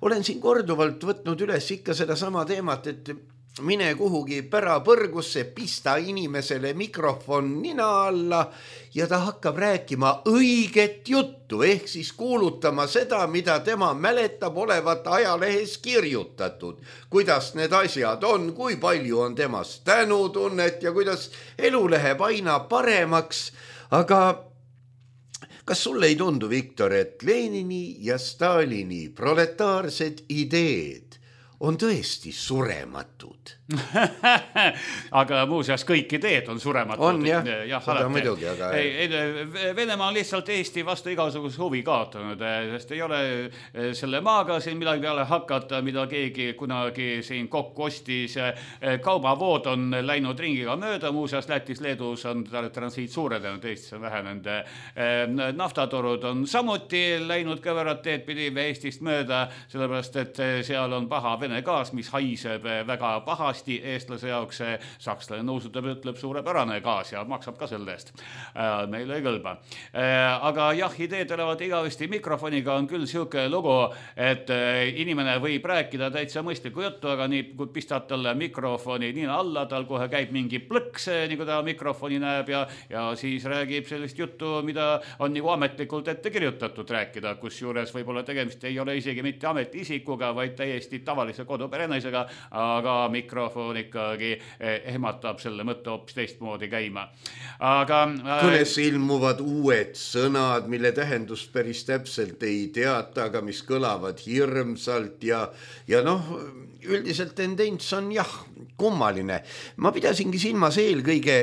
Olen siin korduvalt võtnud üles ikka seda sama teemat, et mine kuhugi pärapõrgusse, pista inimesele mikrofon nina alla ja ta hakkab rääkima õiget juttu, ehk siis kuulutama seda, mida tema mäletab olevat ajalehes kirjutatud. Kuidas need asjad on, kui palju on temast tänutunnet ja kuidas elu läheb aina paremaks. Aga kas sulle ei tundu, Viktor, et Lenini ja Stalini proletaarsed ideed on tõesti surematud? Aga muuseas kõik ideed on surematud. On jah, jah seda muidugi, aga... Ei, Venemaa on lihtsalt Eesti vastu igasugust huvi kaotanud, sest ei ole selle maaga siin midagi peale hakata, mida keegi kunagi siin kokku ostis. Kaubavood on läinud ringiga mööda, muuseas Lätis, Leedus on transiit suurenenud, Eestis on vähenenud. Naftatorud on samuti läinud kõverad teed pidi Eestist mööda, sellepärast et seal on paha Vene gaas, mis haiseb väga pahasti eestlase jaoks. Sakslane nõusutab, ütleb suurepärane gaas ja maksab ka selle eest. Meile ei kõlba. Aga jah, ideed olevat igavesti mikrofoniga on küll siuke lugu, et inimene võib rääkida täitsa mõistliku juttu, aga nii kui pistad talle mikrofoni nina alla, tal kohe käib mingi plõks, nii kui ta mikrofoni näeb ja, ja siis räägib sellist juttu, mida on nagu ametlikult ette kirjutatud rääkida, kus juures võib-olla tegemist ei ole isegi mitte ametiisikuga, vaid täiesti tavalise koduperenaisega, aga mikrofon ikkagi ehmatab selle mõtte hoopis teistmoodi käima. Aga kõnes ilmuvad uued sõnad, mille tähendust päris täpselt ei teata, aga mis kõlavad hirmsalt ja, ja noh, üldiselt tendents on jah, kummaline. Ma pidasingi silmas eelkõige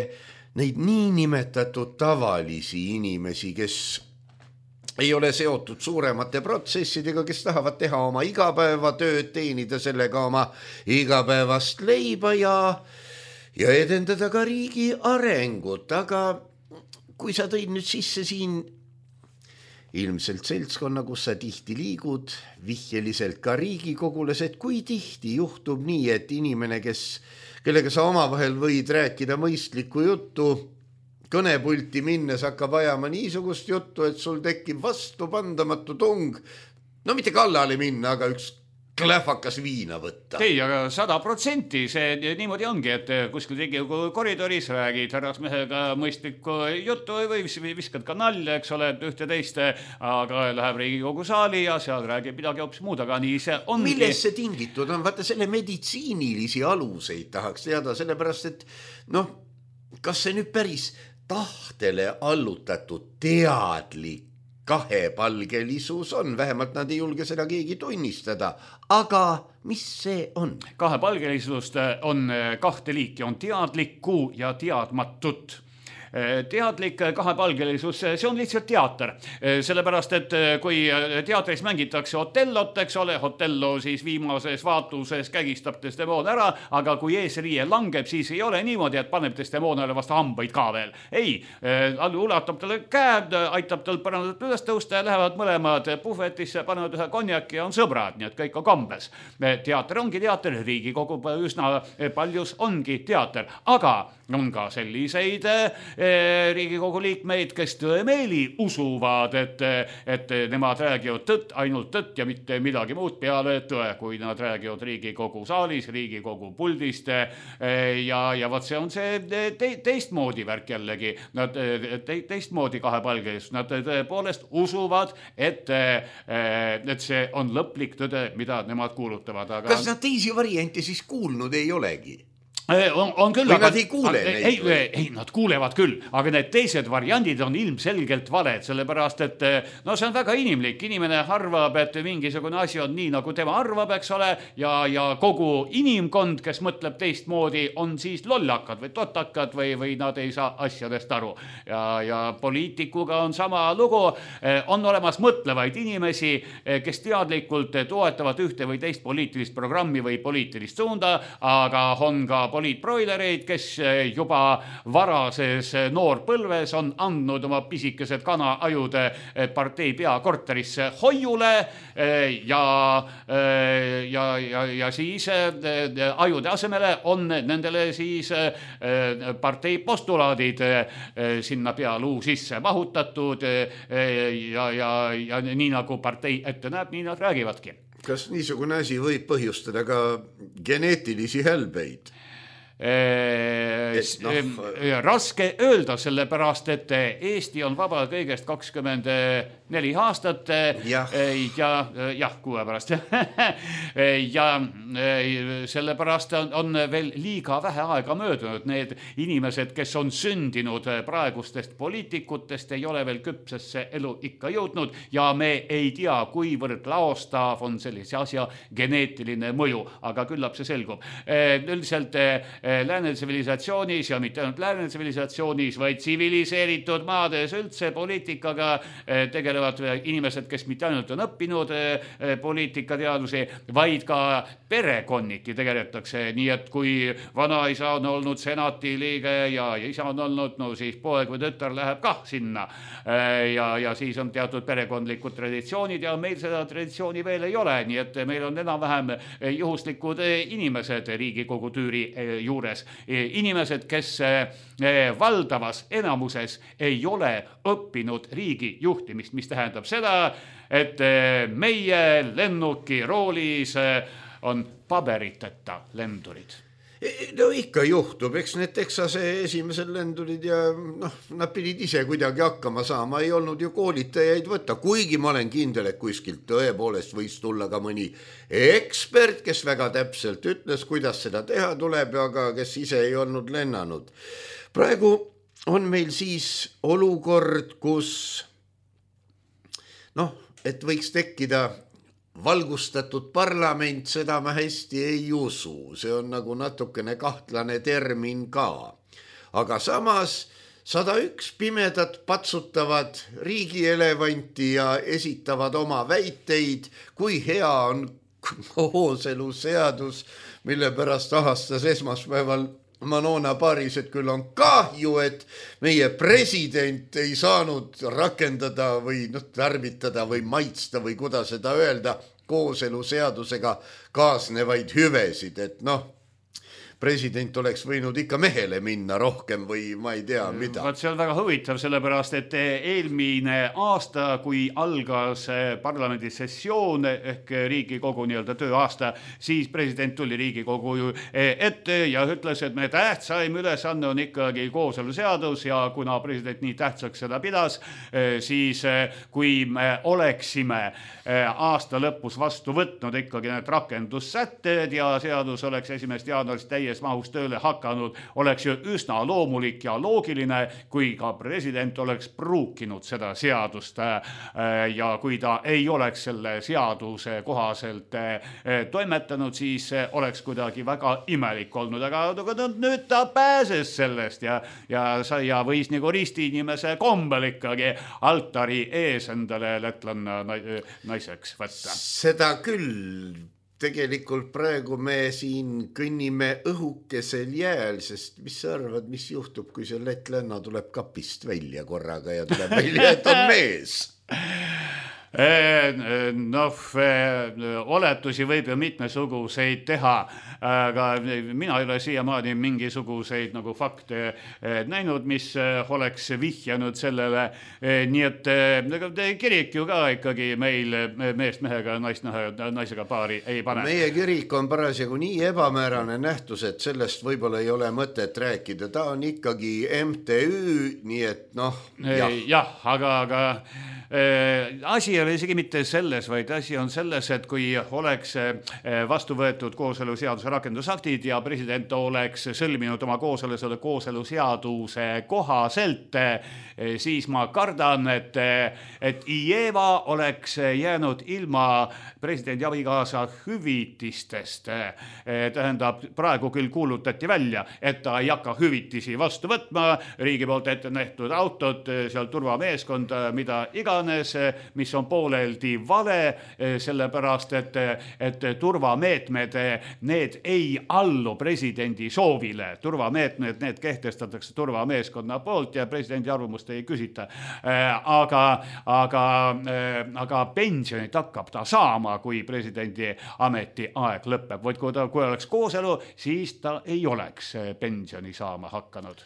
neid niinimetatud tavalisi inimesi, kes ei ole seotud suuremate protsessidega, kes tahavad teha oma igapäevatööd, teenida sellega oma igapäevast leiba ja, ja edendada ka riigi arengut. Aga kui sa tõid nüüd sisse siin ilmselt seltskonna, kus sa tihti liigud, vihjeliselt ka Riigikogules, et kui tihti juhtub nii, et inimene, kes, kellega sa omavahel võid rääkida mõistlikku juttu, kõnepulti minnes hakkab ajama niisugust juttu, et sul tekib vastupandamatu tung, no mitte kallale minna, aga üks klähvakas viina võtta. Ei, aga sada protsenti see niimoodi ongi, et kuskil Riigikogu koridoris räägid härrasmehega mõistlikku juttu või viskad ka nalja, eks ole, ühte teiste, aga läheb Riigikogu saali ja seal räägib midagi hoopis muud, aga nii see ongi. Milles see tingitud on? Vaata, selle meditsiinilisi aluseid tahaks teada, sellepärast, et noh, kas see nüüd päris tahtele allutatud teadlik kahepalgelisus on, vähemalt nad ei julge seda keegi tunnistada, aga mis see on? Kahepalgelisust on kahte liiki, on teadlikku ja teadmatut. Teadlik kahepalgelisus, see on lihtsalt teater, sellepärast, et kui teatris mängitakse Otellot, eks ole, Otello siis viimases vaatuses kägistab Desdemona ära, aga kui eesriie langeb, siis ei ole niimoodi, et paneb Desdemonale vastu hambaid ka veel. Ei, ulatab talle käed, aitab tal parandatud üles tõusta ja lähevad mõlemad puhvetisse, panevad ühe konjaki ja on sõbrad, nii et kõik on kambes. Teater ongi teater, Riigikogu üsna paljus ongi teater, aga on ka selliseid Riigikogu liikmeid, kes tõemeeli usuvad, et, et nemad räägivad tõtt, ainult tõtt ja mitte midagi muud peale tõe, kui nad räägivad Riigikogu saalis, Riigikogu puldist ja, ja vaat see on see te, teistmoodi värk jällegi, nad te, teistmoodi kahepalgelis, nad tõepoolest usuvad, et, et see on lõplik tõde, mida nemad kuulutavad. Aga... kas nad teisi variante siis kuulnud ei olegi? On, on küll, või aga, nad ei kuule neid? Ei, ei, ei, nad kuulevad küll, aga need teised variandid on ilmselgelt valed, sellepärast et no see on väga inimlik. Inimene arvab, et mingisugune asi on nii, nagu tema arvab, eks ole, ja, ja kogu inimkond, kes mõtleb teistmoodi, on siis lollakad või totakad või, või nad ei saa asjadest aru. Ja, ja poliitikuga on sama lugu. On olemas mõtlevaid inimesi, kes teadlikult toetavad ühte või teist poliitilist programmi või poliitilist suunda, aga on ka poliitbroilereid, kes juba varases noorpõlves on andnud oma pisikesed kanaajud partei peakorterisse hoiule ja, ja, ja, ja siis ajude asemele on nendele siis partei postulaadid sinna pealuu sisse mahutatud ja, ja, ja nii nagu partei ette näeb, nii nad räägivadki. Kas niisugune asi võib põhjustada ka geneetilisi hälbeid? Et, no, raske öelda, sellepärast, et Eesti on vaba kõigest kakskümmend neli aastat jah. ja jah, kuue pärast ja sellepärast on, on veel liiga vähe aega möödunud. Need inimesed, kes on sündinud praegustest poliitikutest, ei ole veel küpsesse elu ikka jõudnud ja me ei tea, kuivõrd laostav on sellise asja geneetiline mõju, aga küllap see selgub. Üldiselt lääne tsivilisatsioonis ja mitte ainult lääne tsivilisatsioonis, vaid tsiviliseeritud maades üldse poliitikaga tegelevad inimesed, kes mitte ainult on õppinud poliitikateadusi, vaid ka perekonniti tegeletakse. Nii et kui vanaisa on olnud senati liige ja isa on olnud, no siis poeg või tütar läheb kah sinna. Ja, ja siis on teatud perekondlikud traditsioonid ja meil seda traditsiooni veel ei ole. Nii et meil on enam-vähem juhuslikud inimesed Riigikogu tüüri juures. Inimesed, kes valdavas enamuses ei ole õppinud riigi juhtimist, mis tähendab seda, et meie lennuki roolis on paberiteta lendurid. No ikka juhtub, eks need Texase esimesed lendurid ja noh, nad pidid ise kuidagi hakkama saama, ei olnud ju koolitajaid võtta, kuigi ma olen kindel, et kuskilt tõepoolest võis tulla ka mõni ekspert, kes väga täpselt ütles, kuidas seda teha tuleb, aga kes ise ei olnud lennanud. Praegu on meil siis olukord, kus noh, et võiks tekkida valgustatud parlament, seda ma hästi ei usu. See on nagu natukene kahtlane termin ka. Aga samas sada üks pimedat patsutavad riigielevanti ja esitavad oma väiteid, kui hea on kooseluseadus, mille pärast ahastas esmaspäeval Manona Paris, et küll on kahju, et meie president ei saanud rakendada või noh, tarvitada või maitsta või kuidas seda öelda kooseluseadusega kaasnevaid hüvesid, et noh, president oleks võinud ikka mehele minna rohkem või ma ei tea mida. Vaat see on väga huvitav, sellepärast, et eelmine aasta, kui algas parlamendi sessioon ehk Riigikogu nii-öelda tööaasta, siis president tuli Riigikogu ette ja ütles, et me tähtsaim ülesanne on ikkagi kooseluseadus ja kuna president nii tähtsaks seda pidas, siis kui me oleksime aasta lõpus vastu võtnud ikkagi need rakendussätted ja seadus oleks esimesest jaanuarist täies mahus tööle hakanud, oleks ju üsna loomulik ja loogiline, kui ka president oleks pruukinud seda seadust ja kui ta ei oleks selle seaduse kohaselt toimetanud, siis oleks kuidagi väga imelik olnud, aga nüüd ta pääses sellest ja, ja, ja võis nagu risti inimese kombel ikkagi altari ees endale lätlanna naiseks võtta. Seda küll. Tegelikult praegu me siin kõnnime õhukesel jääl, sest mis sa arvad, mis juhtub, kui see lätlanna tuleb kapist välja korraga ja tuleb välja, et on mees? Noh, oletusi võib ju mitmesuguseid teha, aga mina ei ole siiamaani mingisuguseid nagu fakte näinud, mis oleks vihjanud sellele. Nii et kirik ju ka ikkagi meil meest mehega, naist naisega paari ei pane. Meie kirik on parasjagu nii ebamäärane nähtus, et sellest võib-olla ei ole mõtet rääkida. Ta on ikkagi M T Ü, nii et noh, jah. Jah, aga, aga asi ei ole isegi mitte selles, vaid asi on selles, et kui oleks vastu võetud kooseluseaduse rakendusaktid ja president oleks sõlminud oma kooselusele kooseluseaduse kohaselt, siis ma kardan, et, et Ieva oleks jäänud ilma presidendi abikaasa hüvitistest. Tähendab, praegu küll kuulutati välja, et ta ei hakka hüvitisi vastu võtma, riigi poolt ette nähtud autod, seal turvameeskond, mida iganes, mis on pooleldi vale, sellepärast, et, et turvameetmed, need ei allu presidendi soovile. Turvameetmed, need kehtestatakse turvameeskonna poolt ja presidendi arvamust ei küsita. Aga, aga, aga pensionit hakkab ta saama, kui presidendi ameti aeg lõpeb. Vaid kui, ta, kui oleks kooselu, siis ta ei oleks pensioni saama hakanud.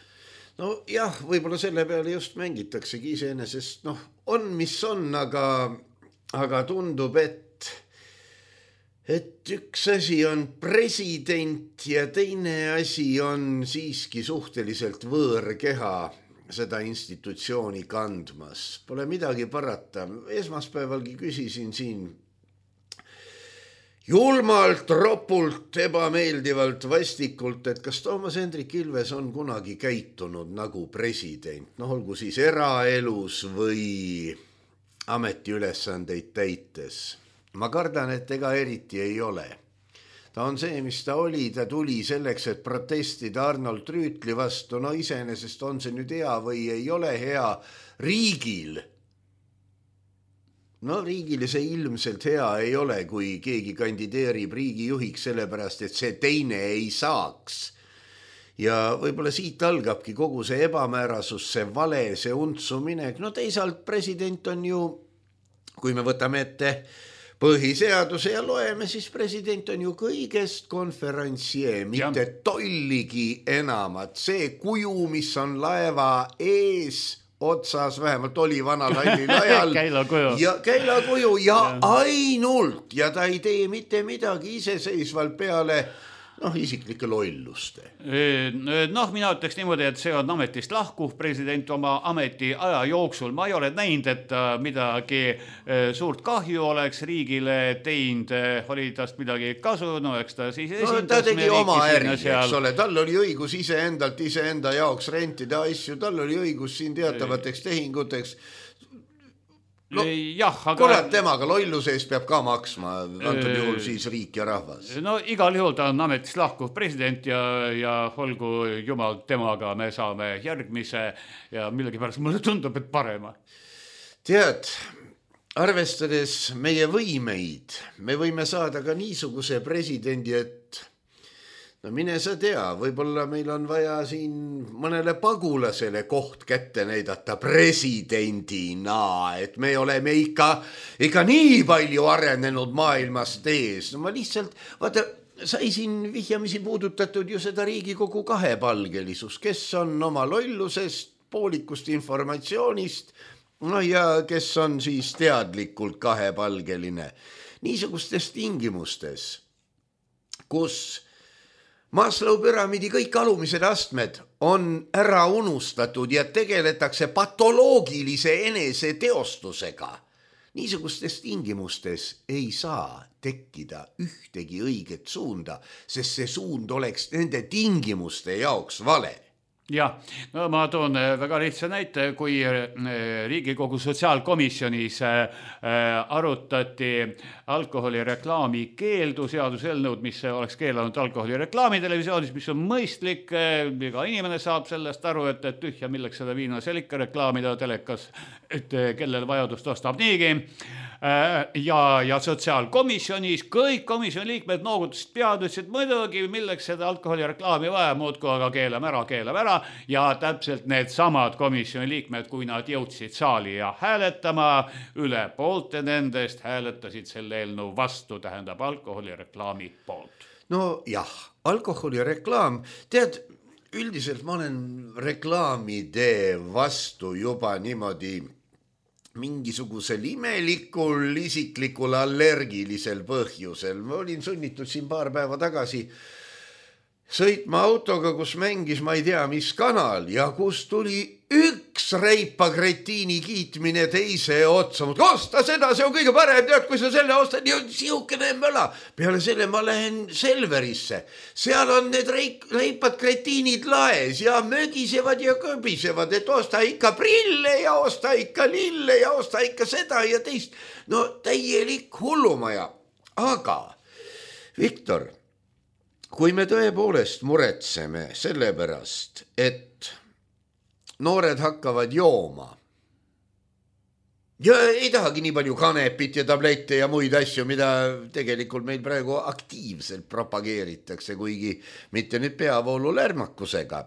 No jah, võib-olla selle peale just mängitaksegi iseenesest, noh, on mis on, aga, aga tundub, et, et üks asi on president ja teine asi on siiski suhteliselt võõrkeha seda institutsiooni kandmas. Pole midagi parata. Esmaspäevalgi küsisin siin julmalt, ropult, ebameeldivalt, vastikult, et kas Toomas Hendrik Ilves on kunagi käitunud nagu president, noh olgu siis eraelus või ametiülesandeid täites. Ma kardan, et ega eriti ei ole. Ta on see, mis ta oli, ta tuli selleks, et protestida Arnold Rüütli vastu, no iseenesest on see nüüd hea või ei ole hea riigil. No riigile see ilmselt hea ei ole, kui keegi kandideerib riigijuhiks sellepärast, et see teine ei saaks. Ja võib-olla siit algabki kogu see ebamäärasus, see vale, see untsumine. No teisalt president on ju, kui me võtame ette põhiseaduse ja loeme, siis president on ju kõigest konferentsieer, mitte tolligi enamat. See kuju, mis on laeva ees otsas, vähemalt oli vanal hallil ajal. Käilakuju. Ja käilakuju ja, ja ainult. Ja ta ei tee mitte midagi iseseisvalt peale noh, isiklike lolluste. Noh, mina ütleks niimoodi, et see on ametist lahkuv president oma ameti aja jooksul. Ma ei ole näinud, et ta midagi suurt kahju oleks riigile teinud, oli tast midagi kasu, no eks ta siis esindas. No, ta tegi oma äri, eks ole, tal oli õigus iseendalt, iseenda jaoks rentida asju, tal oli õigus siin teatavateks tehinguteks. No, jah, aga... kurat temaga lolluse eest peab ka maksma, antud juhul siis riik ja rahvas. No igal juhul ta on ametist lahkuv president ja, ja olgu jumal temaga, me saame järgmise ja millegipärast mulle tundub, et parema. Tead, arvestades meie võimeid, me võime saada ka niisuguse presidendi, et no mine sa tea, võib-olla meil on vaja siin mõnele pagulasele koht kätte näidata presidendina, et me oleme ikka, ikka nii palju arenenud maailmast ees. No ma lihtsalt, vaata, sai siin vihjamisi puudutatud ju seda Riigikogu kahepalgelisus, kes on oma lollusest, poolikust informatsioonist, no ja kes on siis teadlikult kahepalgeline. Niisugustes tingimustes, kus Maslow püramiidi kõik alumised astmed on ära unustatud ja tegeletakse patoloogilise enese teostusega. Niisugustes tingimustes ei saa tekkida ühtegi õiget suunda, sest see suund oleks nende tingimuste jaoks vale. Jah, no ma toon väga lihtsa näite, kui Riigikogu sotsiaalkomisjonis arutati alkoholireklaami keeldu seaduseelnõud, mis oleks keelanud alkoholireklaami televisioonis, mis on mõistlik, iga inimene saab sellest aru, et, et tühja milleks seda viina seal ikka reklaamida telekas, et kellel vajadust ostab niigi. Ja, ja sotsiaalkomisjonis kõik komisjoni liikmed noogutasid pead, ütlesid muidugi, milleks seda alkoholireklaami vaja, muudku aga keelame ära, keelame ära ja täpselt need samad komisjoni liikmed, kui nad jõudsid saali ja hääletama, üle poolte nendest hääletasid selle eelnõu vastu, tähendab alkoholireklaami poolt. No jah, alkoholireklaam, tead, üldiselt ma olen reklaamide vastu juba niimoodi mingisugusel imelikul, isiklikul, allergilisel põhjusel. Ma olin sunnitud siin paar päeva tagasi sõitma autoga, kus mängis, ma ei tea, mis kanal ja kus tuli üks reipa kretiini kiitmine teise otsa. Osta seda, see on kõige parem, tead, kui sa selle ostad, nii on siukene möla. Peale selle ma lähen Selverisse. Seal on need reik, reipad kretiinid laes ja mögisevad ja kõbisevad, et osta ikka prille ja osta ikka lille ja osta ikka seda ja teist. No täielik hullumaja. Aga, Viktor, kui me tõepoolest muretseme selle pärast, et noored hakkavad jooma ja ei tahagi nii palju kanepit ja tablette ja muid asju, mida tegelikult meil praegu aktiivselt propageeritakse, kuigi mitte nüüd peavoolu lärmakusega.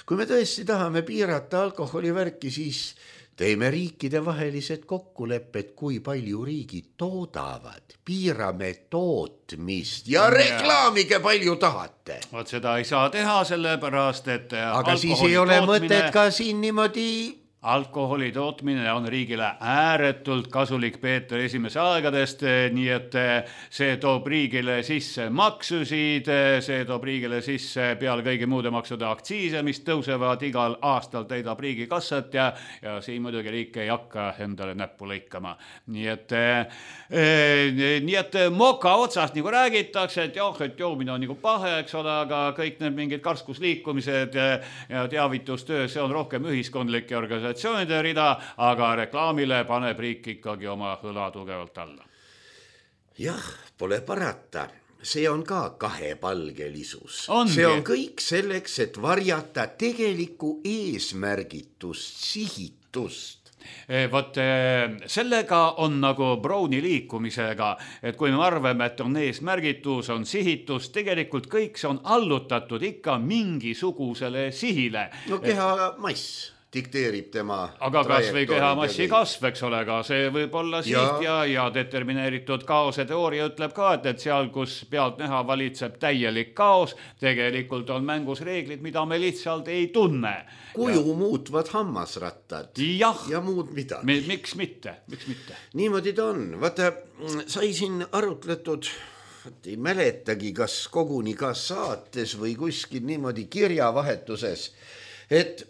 Kui me tõesti tahame piirata alkoholivärki, siis teeme riikide vahelised kokkulepped, kui palju riigid toodavad. Piirame tootmist ja reklaamige palju tahate. Vot seda ei saa teha sellepärast, et aga siis ei ole tootmine... mõtet ka siin niimoodi... Alkoholi tootmine on riigile ääretult kasulik Peeter esimese aegadest, nii et see toob riigile sisse maksusid, see toob riigile sisse peale kõigi muude maksude aktsiise, mis tõusevad igal aastal, täidab riigi kassat ja, ja siin muidugi riik ei hakka endale näppu lõikama. Nii et, e, nii et moka otsast nagu räägitakse, et jah, et joomine on nagu pahe, eks ole, aga kõik need mingid karskusliikumised ja teavitustöö, see on rohkem ühiskondlik ja organisatsioon rida, aga reklaamile paneb riik ikkagi oma hõla tugevalt alla. Jah, pole parata. See on ka kahepalgelisus. Ongi. See on kõik selleks, et varjata tegelikku eesmärgitust, sihitust. Vot sellega on nagu Browni liikumisega, et kui me arvame, et on eesmärgitus, on sihitus, tegelikult kõik see on allutatud ikka mingisugusele sihile. No keha mass dikteerib tema aga kas või kehamassi kasv, eks ole, aga see võib olla siht ja, ja determineeritud kaose teooria ütleb ka, et, et seal, kus pealt näha valitseb täielik kaos, tegelikult on mängus reeglid, mida me lihtsalt ei tunne. Kuju ja... muutvad hammasrattad jah, ja muud midagi. Miks mitte, miks mitte? Niimoodi ta on. Vaata, sai siin arutletud, ei mäletagi, kas koguni ka saates või kuskil niimoodi kirjavahetuses, et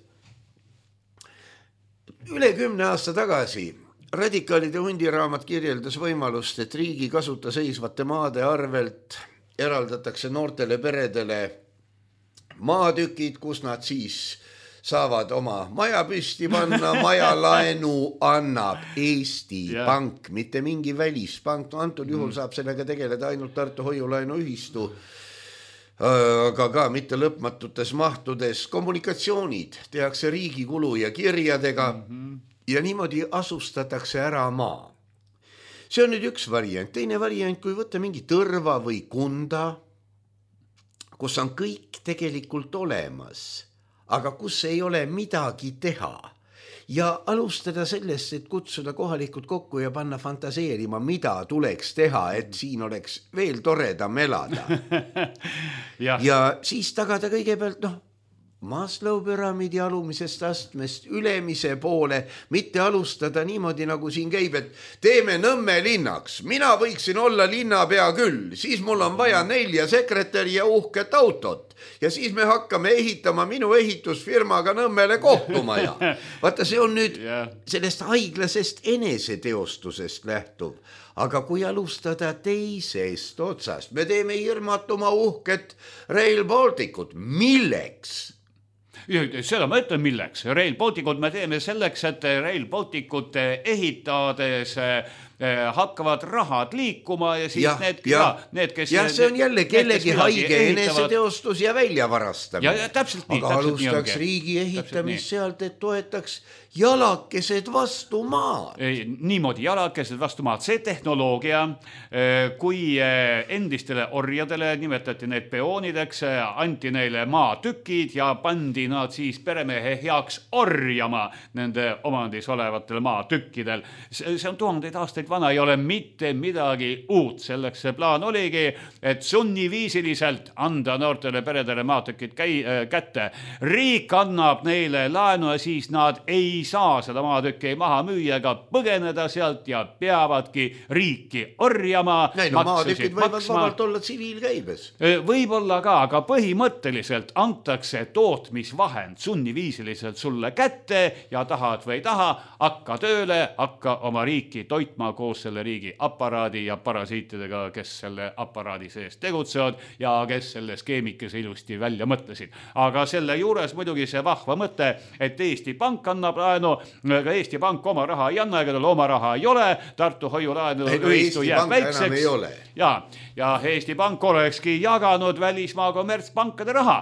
üle kümne aasta tagasi radikaalide hundiraamat kirjeldas võimalust, et riigi kasuta seisvate maade arvelt eraldatakse noortele peredele maatükid, kus nad siis saavad oma maja püsti panna, majalaenu annab Eesti yeah. Pank, mitte mingi välispank. No antud juhul mm. saab sellega tegeleda ainult Tartu hoiulaenu ühistu, aga ka mitte lõpmatutes mahtudes. Kommunikatsioonid tehakse riigi kulu ja kirjadega mm-hmm. ja niimoodi asustatakse ära maa. See on nüüd üks variant. Teine variant, kui võtta mingi Tõrva või Kunda, kus on kõik tegelikult olemas, aga kus ei ole midagi teha. Ja alustada sellest, et kutsuda kohalikud kokku ja panna fantaseerima, mida tuleks teha, et siin oleks veel toredam elada. ja. ja siis tagada kõigepealt, noh, Maslow püramiidi alumisest astmest ülemise poole, mitte alustada niimoodi, nagu siin käib, et teeme Nõmme linnaks. Mina võiksin olla linnapea küll, siis mul on vaja nelja sekretäri ja uhket autot. Ja siis me hakkame ehitama minu ehitusfirmaga Nõmmele kohtumaja. Vaata, see on nüüd sellest haiglasest eneseteostusest lähtuv. Aga kui alustada teisest otsast, me teeme hirmatuma uhket Rail Balticut. Milleks? Seda ma ütlen milleks. Rail Balticut me teeme selleks, et Rail Balticut ehitades hakkavad rahad liikuma ja siis ja, need, ja, need, kes... Ja see on jälle kellegi haige eneseteostus ja väljavarastamine. Ja, ja täpselt nii. Aga täpselt alustaks nii riigi ehitamist sealt, et toetaks jalakesed vastu maad. Niimoodi jalakesed vastu maad. See tehnoloogia, kui endistele orjadele nimetati need peoonideks, anti neile maatükid ja pandi nad siis peremehe heaks orjama nende omandis olevatel maatükkidel. See on tuhandeid aastaid viiskümmend vana ei ole mitte midagi uut. Selleks see plaan oligi, et sunniviisiliselt anda noortele peredele maatükid käi, äh, kätte. Riik annab neile laenu ja siis nad ei saa seda maatükki maha müüa ega põgeneda sealt ja peavadki riiki orjama. Näin, no maatükid võivad vabalt olla tsiviilkäibes. Võib-olla ka, aga põhimõtteliselt antakse tootmisvahend sunniviisiliselt sulle kätte ja tahad või ei taha, hakka tööle, hakka oma riiki toitma koos selle riigi aparaadi ja parasiitidega, kes selle aparaadi sees tegutsevad ja kes selle skeemikese ilusti välja mõtlesid. Aga selle juures muidugi see vahva mõte, et Eesti Pank annab laenu, aga Eesti Pank oma raha ei anna, ega tal oma raha ei ole, Tartu hoiulaenu ei, no, ühistu jääb väikseks. Ja, ja Eesti Pank olekski jaganud välismaa kommertspankade raha,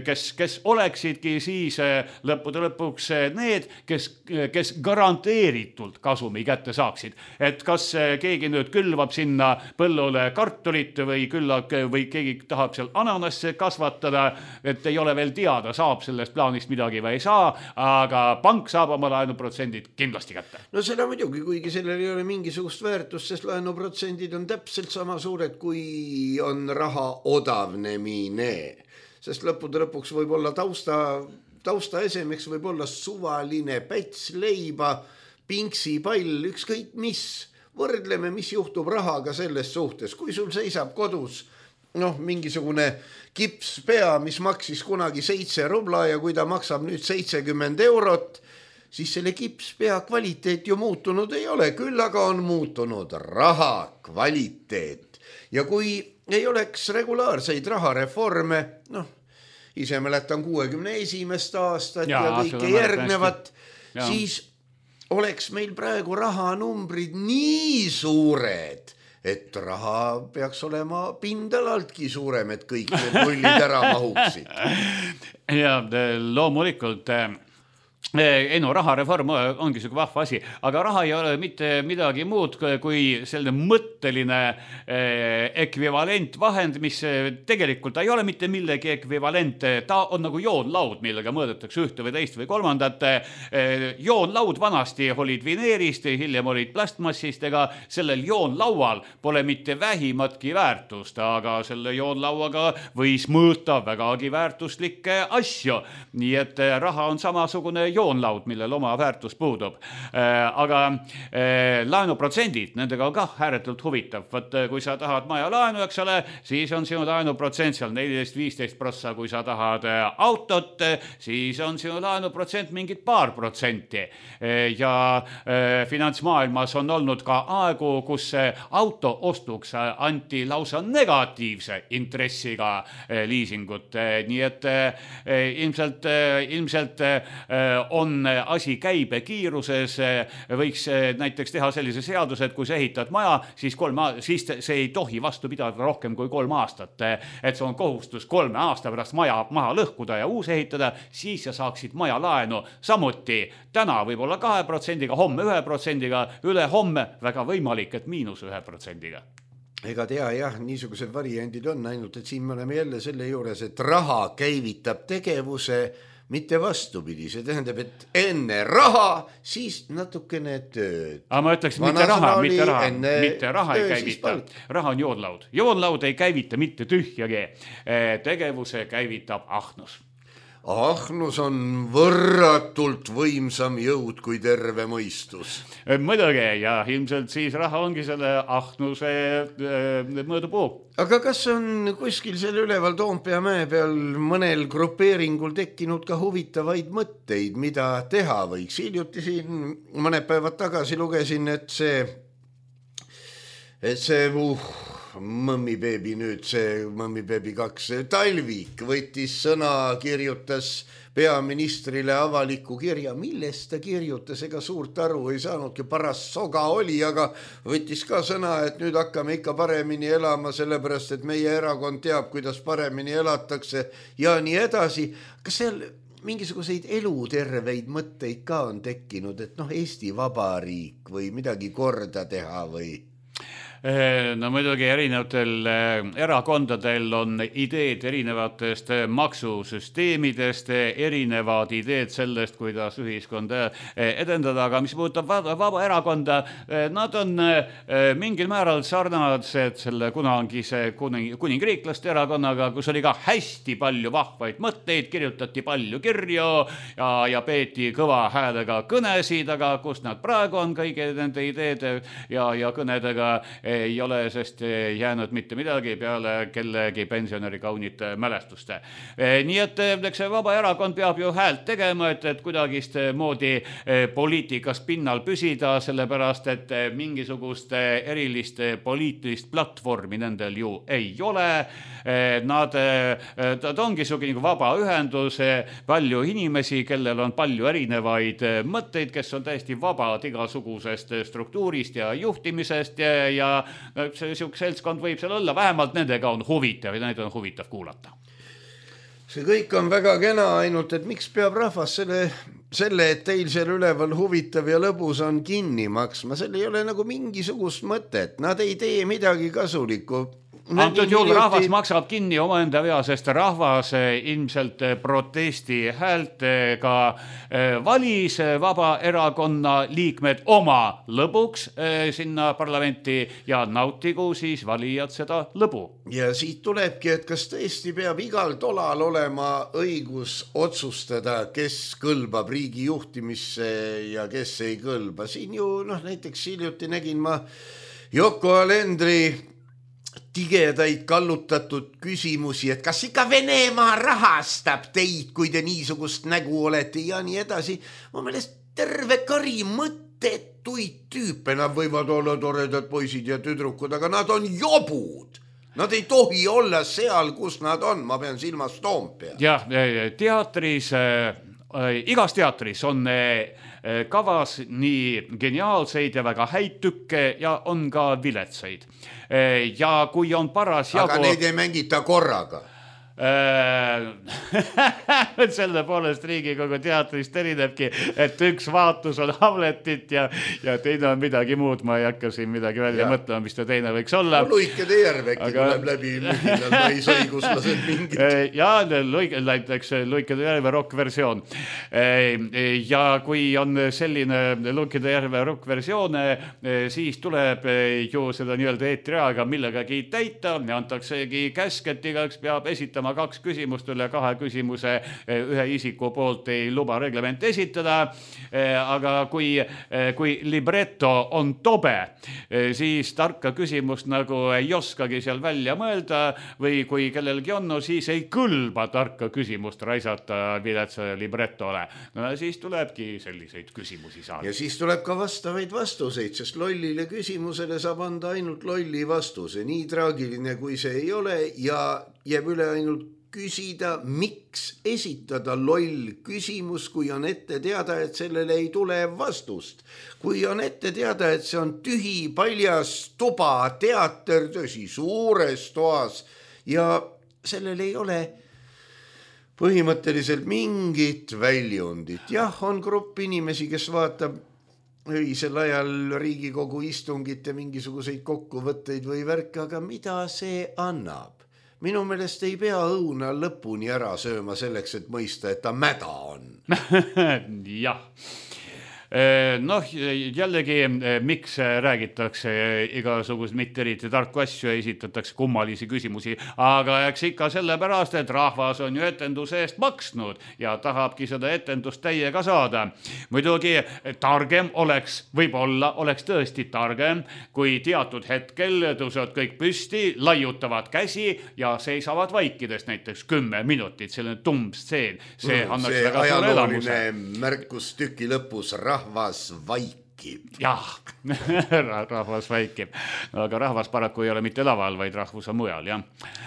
kes, kes oleksidki siis lõppude lõpuks need, kes, kes garanteeritult kasumi kätte saaksid. Et kas keegi nüüd külvab sinna põllule kartulit või küllak või keegi tahab seal ananasse kasvatada, et ei ole veel teada, saab sellest plaanist midagi või ei saa, aga pank saab oma laenuprotsendid kindlasti kätte. No seda muidugi, kuigi sellel ei ole mingisugust väärtust, sest laenuprotsendid on täpselt sama suured, kui on raha odavnemine. Sest lõppude lõpuks võib olla tausta, tausta esemeks võib olla suvaline päts, leiba, pingsi, pall, ükskõik mis. Võrdleme, mis juhtub rahaga selles suhtes. Kui sul seisab kodus noh, mingisugune kipspea, mis maksis kunagi seitse rubla ja kui ta maksab nüüd seitsekümmend eurot, siis selle kipspea kvaliteet ju muutunud ei ole. Küll aga on muutunud raha kvaliteet. Ja kui ei oleks regulaarseid rahareforme, noh, ise mäletan kuuekümne esimest aastat ja, ja kõike järgnevat, siis oleks meil praegu rahanumbrid nii suured, et raha peaks olema pindalaltki suurem, et kõik need nullid ära mahuksid. Ja loomulikult ei no, rahareform ongi selline vahva asi, aga raha ei ole mitte midagi muud kui selline mõtteline ekvivalentvahend, mis tegelikult ei ole mitte millegi ekvivalent. Ta on nagu joonlaud, millega mõõdetakse ühte või teist või kolmandat. Joonlaud vanasti olid vineerist, hiljem olid plastmassist, ega sellel joonlaual pole mitte vähimatki väärtust, aga selle joonlauaga võis mõõta vägagi väärtuslikke asju. Nii et raha on samasugune joonlaud, millel oma väärtus puudub. Aga laenuprotsendid, nendega on ka ääretult huvitav. Võt, kui sa tahad maja laenu, eks ole, siis on sinu laenuprotsent seal neliteist viisteist prossa. Kui sa tahad autot, siis on sinu laenuprotsent mingid paar protsenti. Ja finantsmaailmas on olnud ka aegu, kus auto ostuks anti lausa negatiivse intressiga liisingut. Nii et ilmselt, ilmselt on asi käibe kiiruses, võiks näiteks teha sellise seaduse, et kui sa ehitad maja, siis, kolme, siis see ei tohi vastu pidada rohkem kui kolm aastat. Et see on kohustus kolme aasta pärast maja maha lõhkuda ja uus ehitada, siis sa saaksid maja laenu. Samuti täna võib-olla kahe protsendiga, homme ühe protsendiga, üle homme väga võimalik, et miinus ühe protsendiga. Ega tea, jah, niisugused variandid on ainult, et siin me oleme jälle selle juures, et raha käivitab tegevuse, mitte vastupidi, see tähendab, et enne raha, siis natukene tööd. Aga ma ütleks, mitte raha, mitte raha, mitte raha ei käivita. Raha on joonlaud. Joonlaud ei käivita mitte tühjagi. Tegevuse käivitab ahnus. Ahnus on võrratult võimsam jõud kui terve mõistus. Mõdugi, ja ilmselt siis raha ongi selle ahnuse mõõdupuu. Aga kas on kuskil selle üleval Toompea mäe peal mõnel grupeeringul tekkinud ka huvitavaid mõtteid, mida teha võiks? Hiljuti siin mõned päevad tagasi lugesin, et see, et see uh, mõmmibeebi nüüd, see mõmmibeebi kaks, Talvik võttis sõna, kirjutas peaministrile avaliku kirja, millest ta kirjutas, ega suurt aru ei saanudki, paras soga oli, aga võttis ka sõna, et nüüd hakkame ikka paremini elama, sellepärast, et meie erakond teab, kuidas paremini elatakse ja nii edasi. Kas seal mingisuguseid eluterveid mõtteid ka on tekkinud, et noh, Eesti Vabariik või midagi korda teha või? No muidugi erinevatel erakondadel on ideed erinevatest maksusüsteemidest, erinevad ideed sellest, kuidas ühiskonda edendada, aga mis puudutab vaba erakonda, nad on mingil määral sarnased selle kunagise kuningriiklaste erakonnaga, kus oli ka hästi palju vahvaid mõtteid, kirjutati palju kirju ja, ja peeti kõva häälega kõnesid, aga kus nad praegu on kõige nende ideede ja, ja kõnedega ei ole, sest jäänud mitte midagi peale kellegi pensionäri kaunite mälestuste. Nii et eks see vaba erakond peab ju häält tegema, et, et kuidagist moodi poliitikas pinnal püsida, sellepärast, et mingisugust erilist poliitilist platvormi nendel ju ei ole. Nad, nad ongi sugi nagu vaba ühendus, palju inimesi, kellel on palju erinevaid mõtteid, kes on täiesti vabad igasugusest struktuurist ja juhtimisest ja, ja see seltskond võib seal olla, vähemalt nendega on huvitav ja neid on huvitav kuulata. See kõik on väga kena, ainult et miks peab rahvas selle, selle, et teil seal üleval huvitav ja lõbus on kinni maksma, seal ei ole nagu mingisugust mõtet, nad ei tee midagi kasulikku. Antud juhul rahvas maksab kinni omaenda vea, sest rahvas ilmselt protesti häältega valis vaba erakonna liikmed oma lõbuks sinna parlamenti ja nautigu siis valijad seda lõbu. Ja siit tulebki, et kas tõesti peab igal tolal olema õigus otsustada, kes kõlbab riigi juhtimisse ja kes ei kõlba. Siin ju noh, näiteks hiljuti nägin ma Yoko Alendri tigedaid kallutatud küsimusi, et kas ikka Venemaa rahastab teid, kui te niisugust nägu olete ja nii edasi. Ma meelest terve kari mõttetuid tüüpe, nad võivad olla toredad poisid ja tüdrukud, aga nad on jobud. Nad ei tohi olla seal, kus nad on, ma pean silmas Toompea. Jah, teatris, äh, igas teatris on äh, kavas nii geniaalseid ja väga häid tükke ja on ka viletsaid. Ja kui on paras jagu... Aga neid ei mängita korraga. Selle poolest Riigikogu teatrist erinebki, et üks vaatus on Hamletit ja, ja teine on midagi muud, ma ei hakka siin midagi välja ja. mõtlema, mis ta teine võiks olla. No, Luikede järveki aga... tuleb läbi lühinal, ma ei sõiguslased mingit. Ja näiteks Luikede järve rock-versioon. Ja kui on selline Luikede järve rock-versioon, siis tuleb ju seda nii-öelda eetriaega millegagi täita ja antaksegi käsk, et igaks peab esitama kaks küsimust üle kahe küsimuse ühe isiku poolt ei luba reglement esitada, aga kui, kui libretto on tobe, siis tarka küsimust nagu ei oskagi seal välja mõelda või kui kellelgi on, no siis ei kõlba tarka küsimust raisata viletsa librettole. No siis tulebki selliseid küsimusi saada. Ja siis tuleb ka vastavaid vastuseid, sest lollile küsimusele saab anda ainult lolli vastuse. Nii traagiline kui see ei ole ja jääb üle ainult küsida, miks esitada loll küsimus, kui on ette teada, et sellele ei tule vastust. Kui on ette teada, et see on tühi, paljas tuba, teater, tõsi, suures toas ja sellel ei ole põhimõtteliselt mingit väljundit. Jah, on grupp inimesi, kes vaatab öisel ajal Riigikogu istungit ja mingisuguseid kokkuvõtteid või värke, aga mida see annab? Minu meelest ei pea õuna lõpuni ära sööma selleks, et mõista, et ta mäda on. Jah. Noh, jällegi, miks räägitakse igasugust mitte eriti tarku asju ja esitatakse kummalisi küsimusi, aga eks ikka sellepärast, et rahvas on ju etenduse eest maksnud ja tahabki seda etendust täiega saada. Muidugi targem oleks, võib-olla oleks tõesti targem, kui teatud hetkel tõusevad kõik püsti, laiutavad käsi ja seisavad vaikidest näiteks kümme minutit, selline tumbstseen. See mm, annaks see väga suure elamuse. Märkus tüki lõpus rahvas vaikib. Jah, rahvas vaikib. Aga rahvas paraku ei ole mitte laval, vaid rahvus on mujal, jah.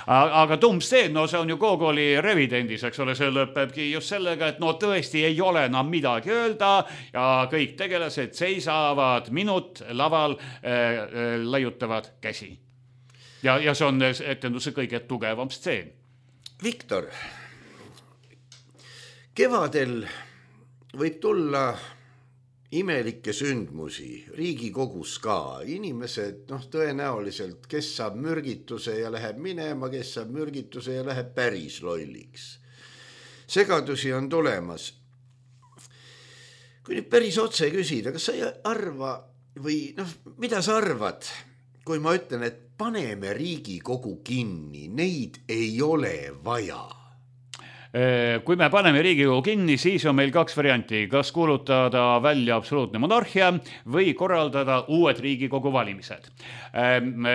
Aga tumbstseen, no see on ju Gogoli revidendis, eks ole, see lõpebki just sellega, et no tõesti ei ole enam midagi öelda ja kõik tegelased seisavad minut laval, äh, laiutavad käsi. Ja, ja see on etenduse kõige tugevam stseen. Viktor, kevadel võib tulla imelikke sündmusi Riigikogus ka. Inimesed, noh, tõenäoliselt, kes saab mürgituse ja läheb minema, kes saab mürgituse ja läheb päris lolliks. Segadusi on tulemas. Kui nüüd päris otse küsida, kas sa ei arva või noh, mida sa arvad, kui ma ütlen, et paneme Riigikogu kinni, neid ei ole vaja? Kui me paneme Riigikogu kinni, siis on meil kaks varianti, kas kuulutada välja absoluutne monarhia või korraldada uued Riigikogu valimised. No...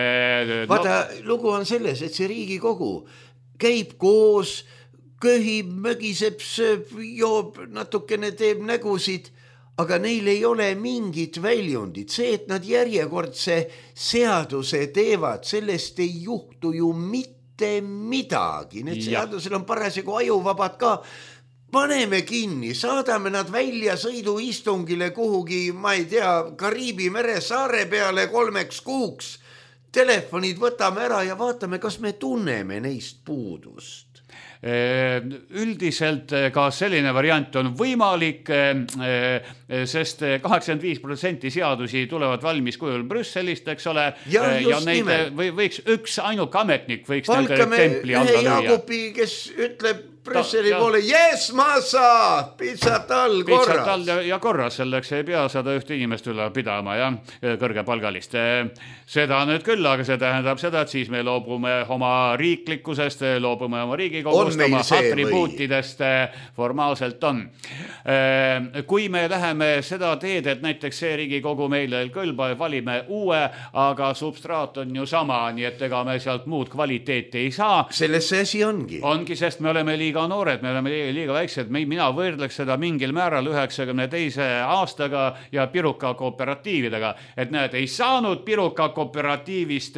Vaata, lugu on selles, et see Riigikogu käib koos, köhib, mögiseb, sööb, joob, natukene teeb nägusid, aga neil ei ole mingit väljundit. See, et nad järjekordse seaduse teevad, sellest ei juhtu ju mitte midagi. Need seadusel on parasjagu ajuvabad ka. Paneme kinni, saadame nad välja sõiduistungile kuhugi, ma ei tea, Kariibi mere saare peale kolmeks kuuks. Telefonid võtame ära ja vaatame, kas me tunneme neist puudust. Üldiselt ka selline variant on võimalik, sest kaheksakümmend viis protsenti seadusi tulevad valmis kujul Brüsselist, eks ole, ja, ja neid või, võiks üks ainuk ametnik võiks nende templi alla lüüa. Jaagupi, kes ütleb Brüsseli Ta, poole, jes, ma saa, pizzat all korras. Pizzat all ja, ja korras, selleks ei pea sada ühte inimest üle pidama ja kõrgepalgalist. Seda nüüd küll, aga see tähendab seda, et siis me loobume oma riiklikkusest, loobume oma Riigikogust, oma atribuutidest formaalselt on. Kui me läheme seda teed, et näiteks see Riigikogu meile ei kõlba, valime uue, aga substraat on ju sama, nii et ega me sealt muud kvaliteeti ei saa. Selles see asi ongi. Ongi, sest me oleme liiga liiga noored, me oleme liiga, liiga väiksed, mina võrdleks seda mingil määral üheksakümne teise aastaga ja Piruka kooperatiividega, et näed, ei saanud Piruka kooperatiivist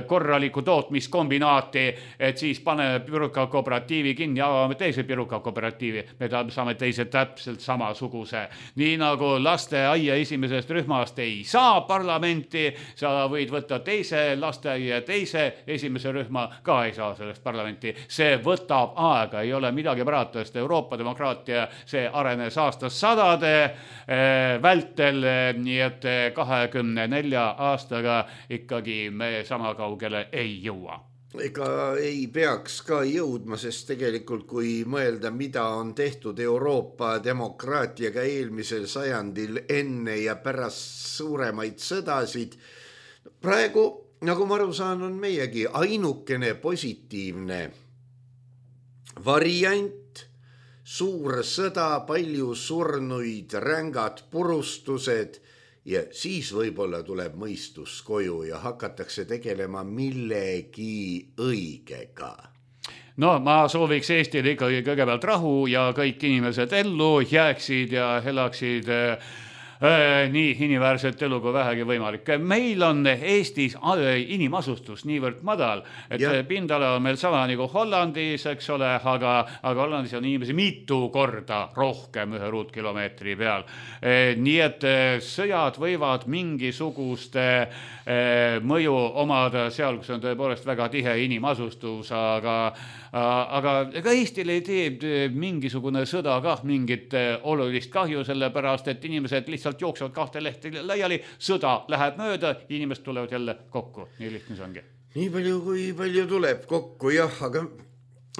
korralikku tootmiskombinaati, et siis paneme Piruka kooperatiivi kinni, avame teise Piruka kooperatiivi, me saame teise täpselt samasuguse. Nii nagu lasteaia esimesest rühmast ei saa parlamenti, sa võid võtta teise lasteaia teise esimese rühma, ka ei saa sellest parlamenti. See võtab aega, ei ole midagi parata, sest Euroopa demokraatia see arenes aastas sadade vältel, nii et kahekümne nelja aastaga ikkagi me sama kaugele ei jõua. Ega ei peaks ka jõudma, sest tegelikult kui mõelda, mida on tehtud Euroopa demokraatiaga eelmisel sajandil enne ja pärast suuremaid sõdasid, praegu, nagu ma aru saan, on meiegi ainukene positiivne variant, suur sõda, palju surnuid, rängad purustused ja siis võib-olla tuleb mõistus koju ja hakatakse tegelema millegi õigega. No ma sooviks Eestile ikkagi kõigepealt rahu ja kõik inimesed ellu jääksid ja elaksid nii inimväärset elu kui vähegi võimalik. Meil on Eestis inimasustus niivõrd madal, et ja. Pindala on meil sama nagu Hollandis, eks ole, aga, aga Hollandis on inimesi mitu korda rohkem ühe ruutkilomeetri peal. Nii et sõjad võivad mingisugust mõju omada seal, kus on tõepoolest väga tihe inimasustus, aga, aga ega Eestil ei tee mingisugune sõda kah mingit olulist kahju, sellepärast, et inimesed lihtsalt jooksevad kahte lehti laiali, sõda läheb mööda, inimesed tulevad jälle kokku. Nii lihtne see ongi. Nii palju, kui palju tuleb kokku, jah, aga,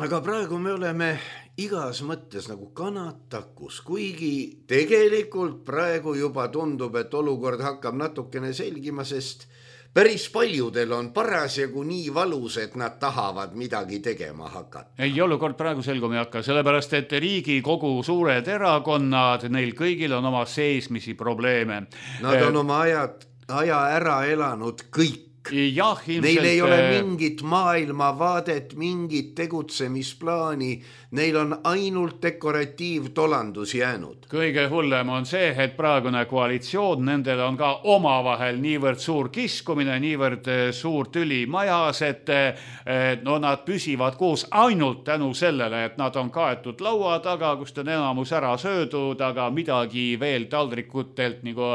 aga praegu me oleme igas mõttes nagu kanatakus, kuigi tegelikult praegu juba tundub, et olukord hakkab natukene selgima, sest päris paljudel on parasjagu nii valus, et nad tahavad midagi tegema hakata. Ei, olukord praegu selguma ei hakka, sellepärast, et Riigikogu suured erakonnad, neil kõigil on oma seesmisi probleeme. Nad on oma ajad, aja ära elanud kõik. Ja, ilmselt... Neil ei ole mingit maailmavaadet, mingit tegutsemisplaani, neil on ainult dekoratiivtolandus jäänud. Kõige hullem on see, et praegune koalitsioon, nendel on ka omavahel niivõrd suur kiskumine, niivõrd suur tüli majas, et no, nad püsivad koos ainult tänu sellele, et nad on kaetud laua taga, kust on enamus ära söödud, aga midagi veel taldrikutelt nagu